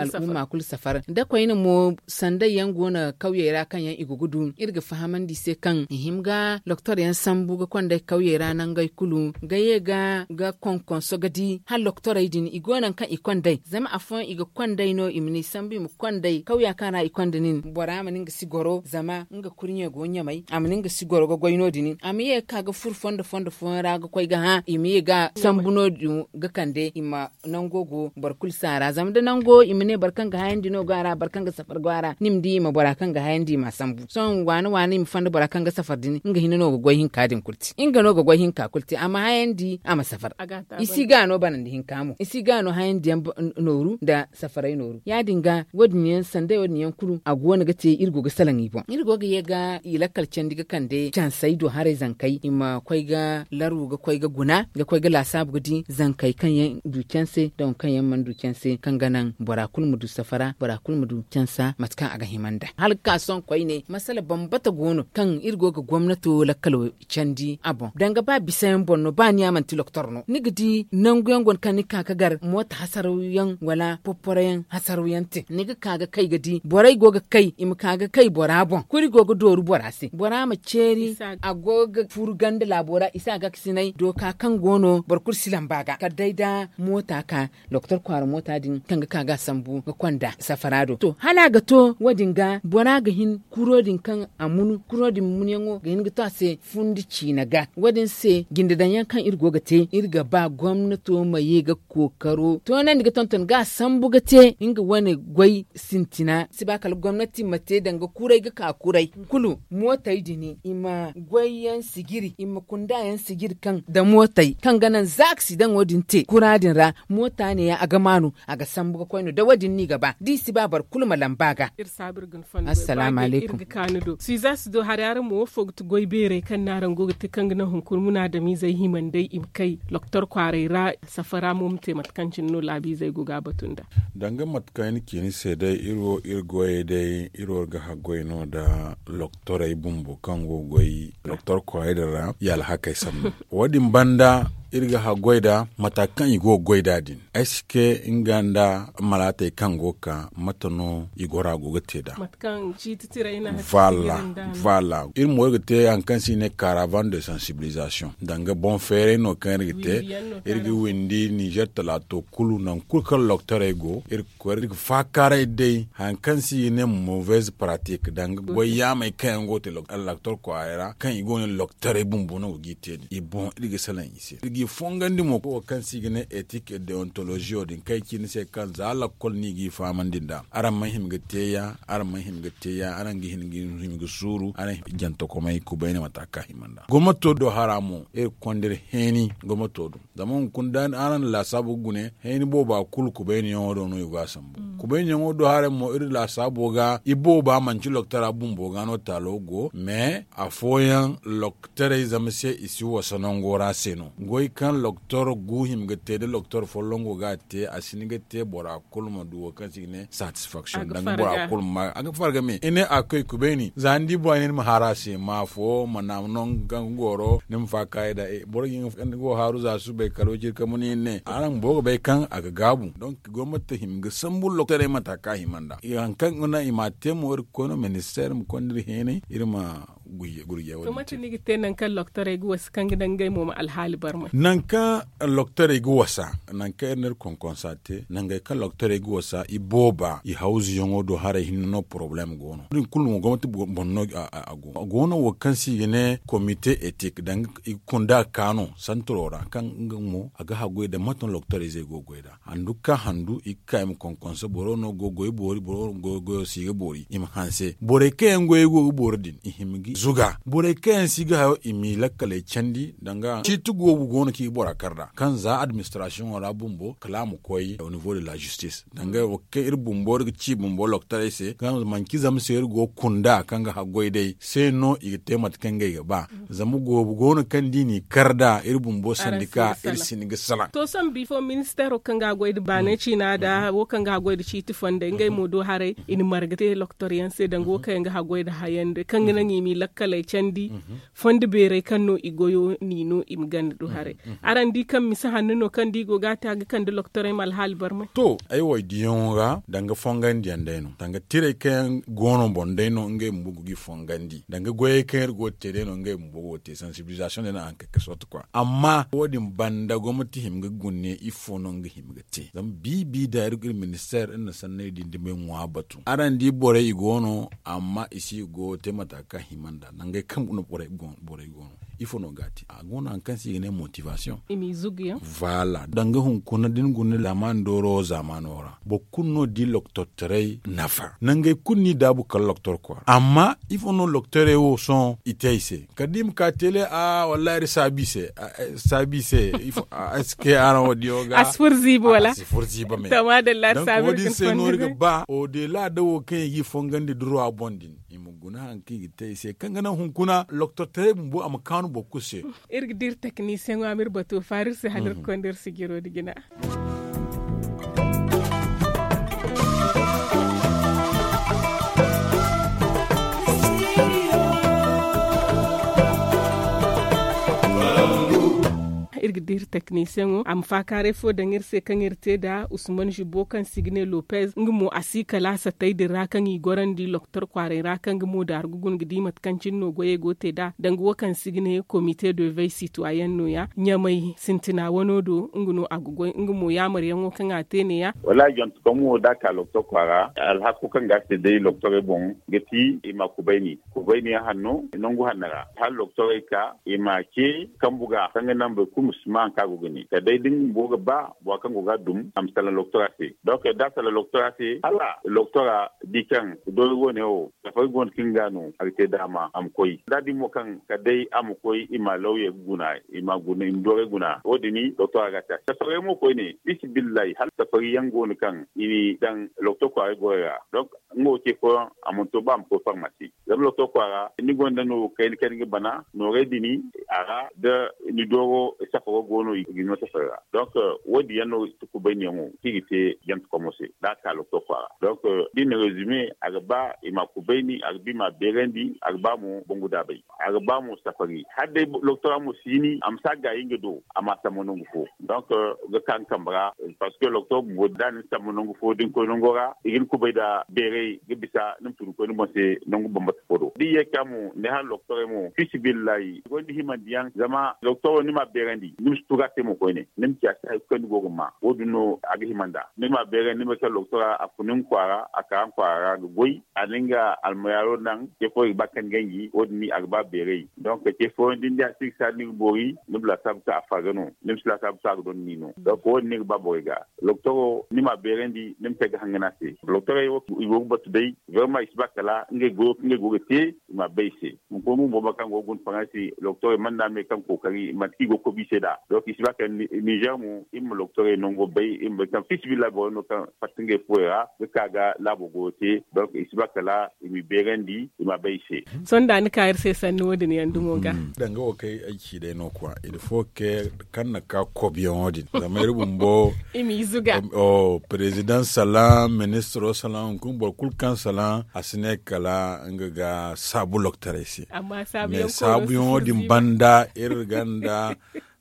al'umma kulu safar nda koyne mo sanday yaŋ go no kawyey ra kaŋ yaŋ i go ga du iri ga fahamandi i se kaŋ i hima ga loktor yaŋ sambu ga konday kawyey ra nangey kulu ga ye ga konkonso ga di hala loktorey din i go no hari kaŋ i konday zama afooyaŋ i ga konday no i ma ni sambu i ma konday kawya kaŋ ra i konda nin bora ma nin ga si goro zama nga kurɲe go ɲamay a ma nin ga si goro ga goy no- din a ma ye ga ka ga furo fondo fondo fooyaŋ ra ga koy ga hã i ma ye ga sambu no- din ga kande i ma nango go boro kulu si a ra zama da nango i ma ne boro kaŋ ga hayandi no go a ra boro kaŋ ga safari go a ra ni ma di i ma bora kaŋ ga hayandi i m'a sambu sohõ waani waani i ma fanda bora kaŋ ga safari din nga hina no ga goy hinka din kulu te nga no ga goy hinka kulu te a ma hayandi a ma safari. I si ga no banandi hinka mo i si ga no hayandi yaŋ nooru nda safaray nooru ya- din ga wo- din yaŋ sanday wo- din yaŋ kulu a go no ga te iri go ga salaŋ i boŋ iri go ga ye ga i lakkal candi ga kande cansey do haray zankey i ma koy ga larwu ga koy ga guna ga koy ga laasaabu ga di zankey kaŋ yaŋ du canse da waŋ kaŋ yaŋ mana du canse kaŋ ga naŋ bora kulu ma du safara bora kulu ma du cansa mate kaŋ a ga hima nd'a hala ga ka sohõ koyne masala bambata go no kaŋ iri go ga gomnato lakkalo candi a boŋ danga ba bisa yaŋ boŋ no ba ni ya manti loktor no ni ga di nangu yaŋ go no kaŋ ni ga ka ga gar moota hasaraw yaŋ wala popporo yaŋ hasaraw yaŋ te ni ga ka ga kay ga di borey go ga kay i ma ka ga kay bora boŋ kuri go ga dooru bora se bora ma ceeri a go ga furu ganda laabo ra i si a ga ga sinay dooka kaŋ go no boro kulu si lamba ga kala day da moota ka doktor kwaara moota din kaŋ ga ka ga a sambu ga konda safara do to hala a ga to wo- din ga bora ga hin kuro din kaŋ a munu kuro din munyaŋo ga hin ga to a se fundi ciina ga wo- din se jinde daŋ yaŋ kaŋ iri go ga te iri ga ba gomnato ma ye ga kookaro toonandi ga tonton ga a sambu ga te nga wane goy sintina si ba kala gomnati ma te danga kuray ga ka kuray kulu mootey din i ma goy yaŋ sijiri i ma kunda yaŋ sijiri kaŋ da mootey kaŋ ga naŋ za accident wo- din te kura din ra moota ne yaŋ a ga maanu a ga sambu ga koy no da wo- din no i ga ba da i si ba boro kulu ma lamba ga. Assalamu alaikum. Suiza si do hari araŋ mo wo fo ga ti goy beerey kaŋ no araŋ go ga te kaŋ ga naŋ hunkuna munaadamiizey himandey i ma kay loktor kwaaray ra safara mo ma te mate kaŋ cine no laabiizey go ga a batu nd'a. Danga mate kaŋ ay na ci ni se day iri wo iri goyey day iri wo ga haggoy no nda loktorey bumbo kaŋ go ga goy doktor kwaaray din ra i alhakey sambu wo- din banda iri ga haggoy nd'a mata kaŋ i go ga goy nd'a din ay si ke nga nda malaatey kaŋ go ga ka mate no i gora go ga te nd'a. Voilà. Iri mo iri ga te hari kaŋ se i ne karavan de sensibilisation danga boŋ feeray no kaŋ iri ga te iri ga windi nizer talaato kulu nangu kulu kaŋ loktorey go iri ga koy iri ga faakaaray day hari kaŋ se i ga ne mauvaise pratique danga goy yaamey kaŋ yaŋ go ga te loktor kwaaray ra kaŋ i go ga ne loktorey bumbo no go ga i te din i boŋ iri ga salaŋ i se iri ga i fongandi mo wo kaŋ se i ga ne ethique et deontologie wo- din kaŋ ay ci ni se kaŋ za lakkol no i g'i fahamandi nd'a araŋ mana hima ga te ya araŋ mana hima ga te ya araŋ ga hima ga suuru araŋ jantakomey kubayne mata kaŋ a hima nd'a gomnato do hara mo iri ga konda iri heeni gomnato do zama hunkuna da araŋ na laasaabu ga gune heeni booba kulu kubayniyaŋo do no i go a sambu Kubayɲaŋo do haray mo iri laasaabo ga i booba manci loktora bumbo ga no taalo go mais afooyaŋ loktorey zama se i si wasa nango ra se no. Goy kaŋ loktor gu hima ga te da loktor folloŋ go ga a te a si hin ga te bora kulu ma du wo kaŋ se i ga ne satisfaction danga bora kulu ma a ga farga me i ne a koy kubayni za ni di bora ne ni ma haaru a se ma afo ma naama no nga goro ni ma faakaayi da boro ga hin ga haaru za subay kala wiciri kamuni ne araŋ bumbo ga bay kaŋ a ga gaabu. Gomnati hima ga sambu loktorey mata kaŋ a hima nd'a hari kaŋ ga naŋ i m'a te mo iri ga koy no ministeer ma konda iri heenay iri ma gurje gurje wo- din te. Mate no i ga te nangu kaŋ loktorey ga wasa kaŋ ga naŋ ngey mo ma alhaali barmay. Nangu kaŋ loktorey ga wasa nangu kaŋ iri na iri konkonsa te nangey kaŋ loktorey ga wasa i booba i hawzuyaŋo do haray hinne no porobalem go no wo- din kulu mo gomnati boŋ no a go no wo kaŋ se i ga ne komite etik danga i ga kunda ga ka no santaro ra kaŋ nga mo a ga haggoy nda mate no loktorey zey go ga goy nd'a handu ga ka handu i ga ka i ma konkonsa boro no go ga goy boori boro no go ga goyo si ga boori i ma hanse borey kaŋ yaŋ goyey go ga boori din i hima ga i zuga borey kaŋ yaŋ si ga hayo i m'i lakkaley candi danga ciiti goobu go no kaŋ i ga bora kar nd'a kaŋ za administrasiyoŋo ra bumbo kala a ma koy au nivo de la zistis danga wo kaŋ iri bumbo iri ga ci bumbo loktorey se kaŋ manci zama se iri go ga kunda kaŋ ga haggoy day se no i ga te mate kaŋ ngey ga ba. Zama goobu go no kaŋ da i n'i kar nd'a iri bumbo sandika iri si hin ga salaŋ. To sohõ bifo ministeero kaŋ ga a goy nda baanay ciina nda wo kaŋ ga a goy nda ciiti fondey ngey mo do haray i na marga te loktor yaŋ se danga wo kaŋ yaŋ ga haggoy nda hayandi kaŋ ga naŋ i m'i lakkaley candi fondo beerey kaŋ no i goyo n'i no i ma ganda do haray. Araŋ di kaŋ misa hanno no kaŋ da i go ga a te a ga kande loktorey ma alhaali barmay. To ay wo ay diyaŋo ga danga fongandiyaŋ day no danga tirey kaŋ yaŋ go no boŋ day no ngey bumbo go ga i fongandi danga goyey kaŋ iri go ga te day no ngey bumbo go ga te sansibilizasiyoŋ day no a haŋ kay ga sorti kwa amma wo- din banda gomnati hima ga gune ifo no nga hima ga te zama biibi da iri ga iri ministeer iri na sanney din dumey ŋwa batu araŋ di borey i go no amma i si ga goyo te mata kaŋ a hima nd'a nangey kaŋ borey go no ifo no ga a te a go no hari kaŋ se i ga ne motivasiyoŋ. Voilà danga hunkuna da ni guna laamaani dooro wo zaamaano ra boro kulu no di loktortaray nafa nangey kulu no i daabu kala loktor kwaara amma ifo no loktorey wo sohõ i te ay se kala da i ma ka tele a wallahi iri saabu i se saabu i se. Est-ce que araŋ wo diyo ga a si furo ziibi wala a si furo ziibi me. Donk wo- din se no iri ga ba odela da wo kaŋ i g'i fongandi duruwa boŋ din i ma guna hari kaŋ i ga te i se kaŋ ga naŋ hunkuna loktortaray bumbo a ma kaanu boro kulu se. Iri ga dira teknisiyeŋo a ma iri bato faari iri se hala iri ga konda iri sijiro nda jina. Iri ga dira teknisiyeŋo a ma faakaaray fo daŋ iri se kaŋ iri te nd'a usman zibo kaŋ se i ga ne lopez nga mo a si kala satay din ra kaŋ i gorandi loktor kwaaray ra kaŋ nga mo daaru ga guna ga di mate kaŋ cine no goyey go ga te nd'a danga wo kaŋ se i ga ne komite de vey sitwayen no- ya ɲamay sintina wano do nga no a ga goy nga mo yaamaryaŋo kaŋ a te ne- ya. Wallaahi jantu kaŋ mo da a ka loktor kwaara alhako kaŋ ga a se day loktorey boŋ ga ti i ma kubayni kubayni yaŋ hanno nangu hanno ra hala loktorey ka i ma ce kambu ga kaŋ ga naŋ boro kulu ma si ma hari kaŋ a go ga ne kala day da nga bumbo ga ba bora kaŋ go ga a dum a ma salaŋ loktora se donk da a salaŋ loktora se hala loktora di kaŋ doori wane wo safari go no kaŋ ga no a ga te daama a ma koy da a di mo kaŋ kala day a ma koy i ma lawye ga guna i ma guna i ma doorey guna wo- din doktora ga a te a se safarey mo koyne fisibillahi hala safari yaŋ go no kaŋ i n'i daŋ loktor kwaaray borey ra donk nga wo ce fooyaŋ a mana to ba a ma koy farmasi zama loktor kwaara ni gonda no kayna kayna ga bana noorey din a ra da ni dooro safaro go no i ga ni no safari ra donk wo- din yaŋ no kubayniyaŋo kaŋ i ga te jantekomo se da a ka loktor kwaara donk da i na rezime a ga ba i ma a kubayni a ga ba i ma a beerandi a ga ba mo bangu daabay a ga ba mo safari hala day loktora mo si hini a ma si a gaayi nga do a ma a sambu nangu fo donk ga ka nga kambe ra parce que loktor bumbo da a na ni sambu nangu fo da ni koy nango ra i ga ni kubay nda beeray ga bisa ni ma tun ga koy ni boŋ se nangu bambata fo do da i ye ga ka mo ni hala loktorey mo fisibillahi i gonda himandiyaŋ zama loktor wo ni ma a beerandi ni ma si tugu a se mo koyne ni ma ci a se hari kulu kaŋ ni go ga ma wo- din no a ga hima nd'a ni ma a beerandi ni ma kala loktora a fun ni kwaara a ka ni kwaara ra ga goy a na nga almayaaro naŋ ce fooyaŋ i ga ba kaŋ ni ganji wo- din a ga ba beeray donk ce fooyaŋ da ni di a si ga saadu ni ga boori ni ma laasaabu kaŋ a farga no ni ma si laasaabu kaŋ a ga donda ni no donk wo- din no i ga ba borey ga loktor wo ni ma a beerandi ni ma kay ga hangan a se loktorey wo i go ga batu day vraiment i si ba kala ngey goyo kaŋ ngey go ga te i ma a bay i se hunkuna bumbo mate kaŋ go ga guna faransi loktorey mana me kaŋ kookari mate kaŋ i go ga kobi i se nd'a. Donc i si ba kala nizer mo iri ma loktorey nango bay, iri ma bay kaŋ fiisabilillahi borey no kaŋ fatta ngey fuwey ra ga ka ga laabo goyo te. Donc i si ba kala i m'i beerandi, i m'a bay i se. Sohõ da ni ka iri se sanni wo- din yaŋ dumo ga. Danga wo kaŋ ay ci day no kwa, il faut que kaŋ na ka kobiyaŋo din zama iri bumbo i m'i zuga. President salaŋ, ministro salaŋ, hunkuna boro kulu kaŋ salaŋ a si ne kala nga ga saabu loktorey se. Mais saabuyaŋo din banda iri ganda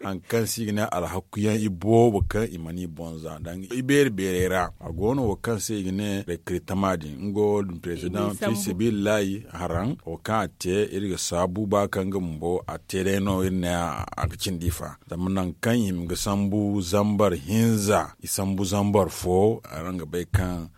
hari kaŋ se i ga ne alhakuyaŋ i boobo kaŋ i mana i bonza danga i beeri beerey ra. A go no wo kaŋ se i ga ne rekritama din nga wo din president fi sabilillahi haran wo kaŋ a te iri ga saabu ba kaŋ nga bumbo a te day no iri ne a ga cindi fa. Zama nangu kaŋ i hima ga sambu zambar hinza i sambu zambar fo. Araŋ ga bay kaŋ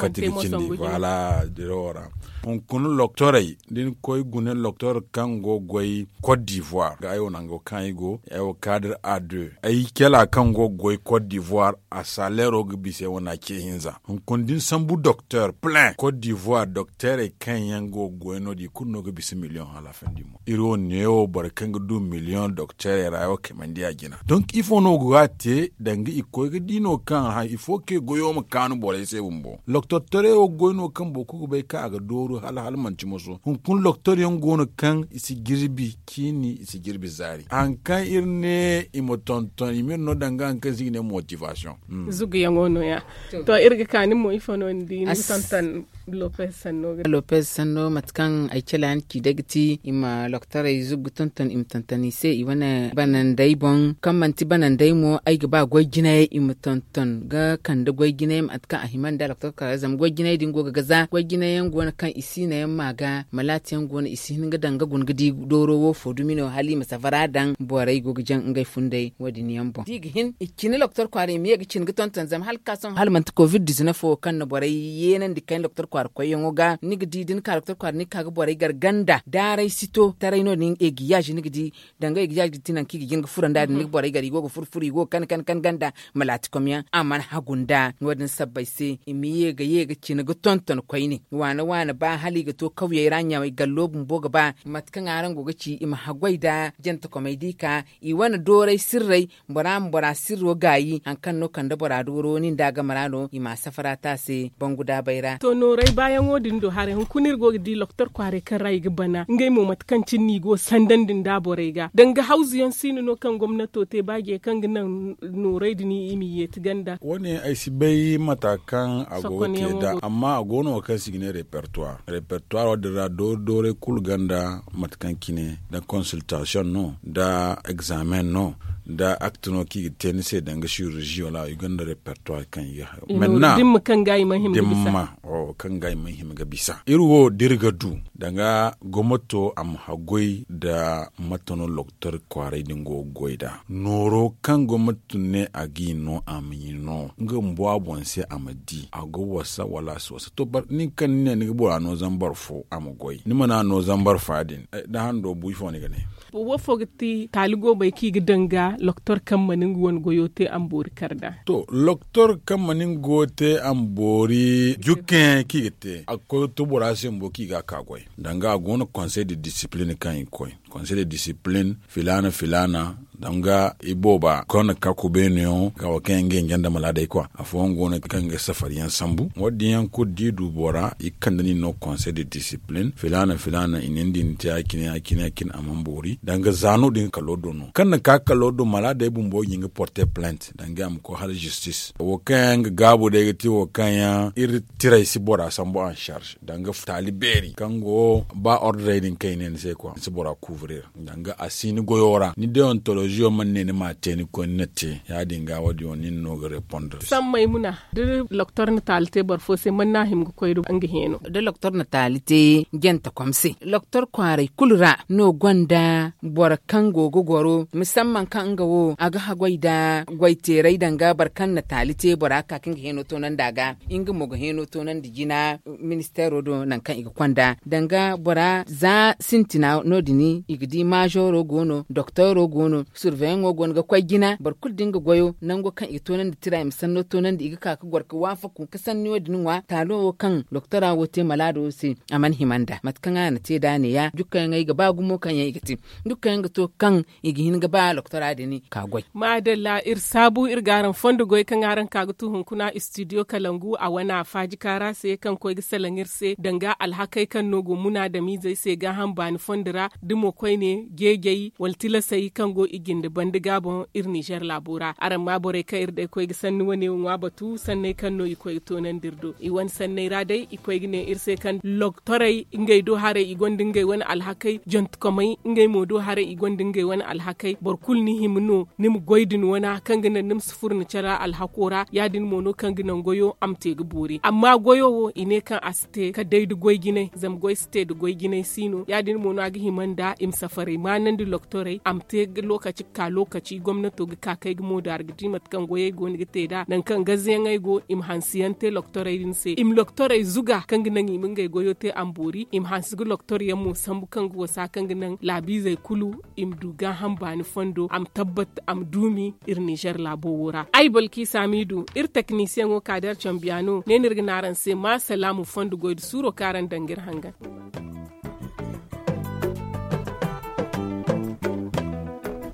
kati ga cindi voilà dirawo ra. Hunkuna loktorey da ni koy gune loktor kaŋ go ga goy cote d'ivoire ga ay wo nango kaŋ ay go ay wo kadir a deux ay kela kaŋ go ga goy cote d'ivoire a saleero ga bisa ay wane a ce hinza hunkuna da ni sambu doktor plein cote d'ivoire doktorey kaŋ yaŋ go ga goy no- din i kulu no ga bisa miliyoŋ hala fendi mo iri wo neewo boro kaŋ ga du miliyoŋ doktorey ra ay wo kaymandi a jina donc ifo no go ga a te danga i koy ga di no kaŋ hari ifo kaŋ i goyo ma kaanu borey se bumbo loktor taray wo ga goy no kaŋ boro kulu ga bay kaŋ a ga dooru hala hala manti moso hunkuna loktor yaŋ go no kaŋ i si jirbi ciini i si jirbi zaari hari kaŋ iri ne i ma tonton i ma iri no danga hari kaŋ se i ga ne motivasiyoŋ zuguyaŋo no- ya to iri ga ka nin mo ifo no ni di ni ga tonton lopez sanno ga lopez sanno mate kaŋ ay cala ni ci day ga ti i ma loktorey zuggu tonton i ma tonton i se i wane banandey boŋ kaŋ manti banandey mo ay ga ba goy jinay i ma tonton ga kande goy jinay mate kaŋ a hima nda loktor kara zama goy jinay din go ga gaza goy jinay yaŋ go no kaŋ i si no yaŋ ma ga malaati yaŋ go no i si hin ga daŋ ga guna ga di dooro wo fo dumi no hala i ma safara daŋ borey go ga jaŋ ngey funday wo- din yaŋ boŋ da i ga hin i cine loktor kwaara i ma ye ga cine ga tonton zama hala ga ka sohõ hala manti covid dizinef wo kaŋ na borey yeenandi kayna doktor kwaara koyyaŋo ga ni ga di da ni ka doktor kwaara ni ga ka ga borey gar ganda daaray si to taray no- din egiyaaz ni ga di danga egiyaaz ga ti nangu kaŋ i ga jin ga furanda din ni ga borey gar i go ga fur fur i go ga kan kan kan ganda malaatikom yaŋ a mana hagu nda no- din sabbay se i ma ye ga ye ga cine ga tonton koyne waana waana ba hala i ga to kawyey ra ɲamay gallo bumbo ga ba mate kaŋ araŋ go ga ci i ma haggoy nda jantakomey da i ka i wane dooray sirray bora ma bora sirro gaayi hari kaŋ no kande bora dooro nin da a game ra no i ma a safara te a se bangu daabay ra to nooray baayaŋo din do haray hunkuna iri go ga di loktor kwaaray kaŋ ra i ga bana ngey mo mate kaŋ cine no i go ga sandandi nda borey ga danga hawzu yaŋ siino no kaŋ gomnato te ba je kaŋ ga naŋ nooray din i m'i yeeti ganda wo- ne ay si bay mata kaŋ a go ga te nd'a amma a go no wo kaŋ se i ga ne repertoire repertoire wo- din ra doori dooray kulu ganda mate kaŋ cine nda konsiltasiyoŋ no nda egzaamen no nda akte no kaŋ i ga te ni se danga sirurzi wala i gonda repertoire kaŋ i ga hayo menta dimma kaŋ ga i mana hima ga bisa iri wo da iri ga du danga gomnato a ma haggoy nda mate no loktor kwaaray din go ga goy nd'a nooro kaŋ gomnato ne a ga i no a ma i no nga bumbo a boŋ se a ma di a go wasa wala a si wasa to nin kaŋ ni ne ni ga bora no zambar fo a ma goy ni mana no zambar fa din da hando bu ifo ni ga ne wo fo ga ti taali go bay kaŋ i ga daŋ ga loktor kaŋ mana nga wane goyo te a ma boori kar nd'a to loktor kaŋ mana nga goyo te a ma boori jukkayaŋ kaŋ i ga te a ga koy ga to bora se bumbo kaŋ i ga a ka goy danga a go no konsey de disipilin kaŋ i ga koy konsey de disipilin filaana filaana danga ibooba kaŋ na ka kubeenoyaŋo ga wo kaŋ yaŋ ga yaŋ janda malaadey kwa afooyaŋ go no kaŋ ga safariyaŋ sambu wo- din yaŋ kulu da i du bora i ga kande nin no konsey de disipilin filaana filaana i ne ni di ni te ya- cine ya- cine ya- cine a mana boori danga za no- din kalo do no kaŋ na ka kalo do malaadey bumbo ga hin ga porte plent danga a ma koy hala zistis wo kaŋ yaŋ ga gaabu day ga te wo kaŋ yaŋ iri tiray si bora sambu ansarz danga taali beeri kaŋ go ba ordrey din kaŋ i ne ni se kwa ni si bora kuuburir danga a si ni goyo ra ni deontoloziyo mana ne ni ma a te ni koy ni na te ya- din ga wo- din wo nin no ga repondre sammey muna da loktor na taali te boro fo se mana no a hima ga koy da nga heeno da loktor na taali te jantakom se loktor kwaaray kulu ra no gonda boro kaŋ go ga goro musamman kaŋ nga wo a ga haggoy nda goyteeray danga boro kaŋ na taali te bora ga ka kaŋ ga heeno toonandi a ga nga mo ga heeno toonandi jina ministeero do nangu kaŋ i ga konda danga bora za sintina no- din i ga di maazooro go no doktooro go no surveyaŋo go no ga koy jina boro kulu da nga goyo nango kaŋ i ga toonandi tira i ma sanno toonandi i ga ka ga goro ga waafaku ga sanni wo- din ŋwa taalo wo kaŋ doktora wo te malaado wo se. A mana hima nd'a mate kaŋ a na te nd'a ne- ya dukkayaŋ ay ga ba gumo kaŋ yaŋ i ga te dukkayaŋ ga to kaŋ i ga hin ga ba doktora din ka goy. Maadalla iri saabu iri ga araŋ fondo goy kaŋ araŋ ka ga tu hunkuna istidiyo kalangu a wane a faaji kaara se kaŋ koy ga salaŋ iri se danga alhakey kaŋ no go munaadamiizey se gaaham baani fondo ra da mo koyne jeejey wala tilasey kaŋ go i jinde banda ga boŋ iri ninzeer laabo ra araŋ ma borey kaŋ iri day koy ga sanni wane wo ŋwa batu sanney kaŋ no i koy ga toonandi iri do i wane sanney ra day i koy ga ne iri se kaŋ loktorey ngey do haray i gonda ngey wane alhakey jantukomey ngey mo do haray i gonda ngey wane alhakey boro kulu ni hima no ni ma goy din wana kaŋ ga naŋ ni ma si furo ni care alhako ra ya- din mo no kaŋ ga naŋ goyo a ma te ga boori amma goyo wo i ne kaŋ a si te kala day nda goy jinay zama goy si te nda goy jinay si no ya- din mo no a ga hima nda i ma safaray maanandi loktorey a ma te lookaci ga ka lookaci gomnato ga ka kaŋ ay ga moodaari ga di mate kaŋ goyey go no ga te nd'a nangu kaŋ gazayaŋey go i ma hansi yaŋ te loktorey din se i ma loktorey zuga kaŋ ga naŋ i ma ngey goyo te a ma boori i ma hansi ga loktor yaŋ mo sambu kaŋ ga wasa kaŋ ga naŋ laabiizey kulu i ma du gaaham baani fondo a ma tabbat a ma duumi iri ninzeer laabo wo ra ay balki saamiidu iri teknisiyaŋo kaader cambiyaano ne no iri ga ne araŋ se ma salaamu fondo goy nda suuro kaŋ araŋ daŋ ga iri hangan.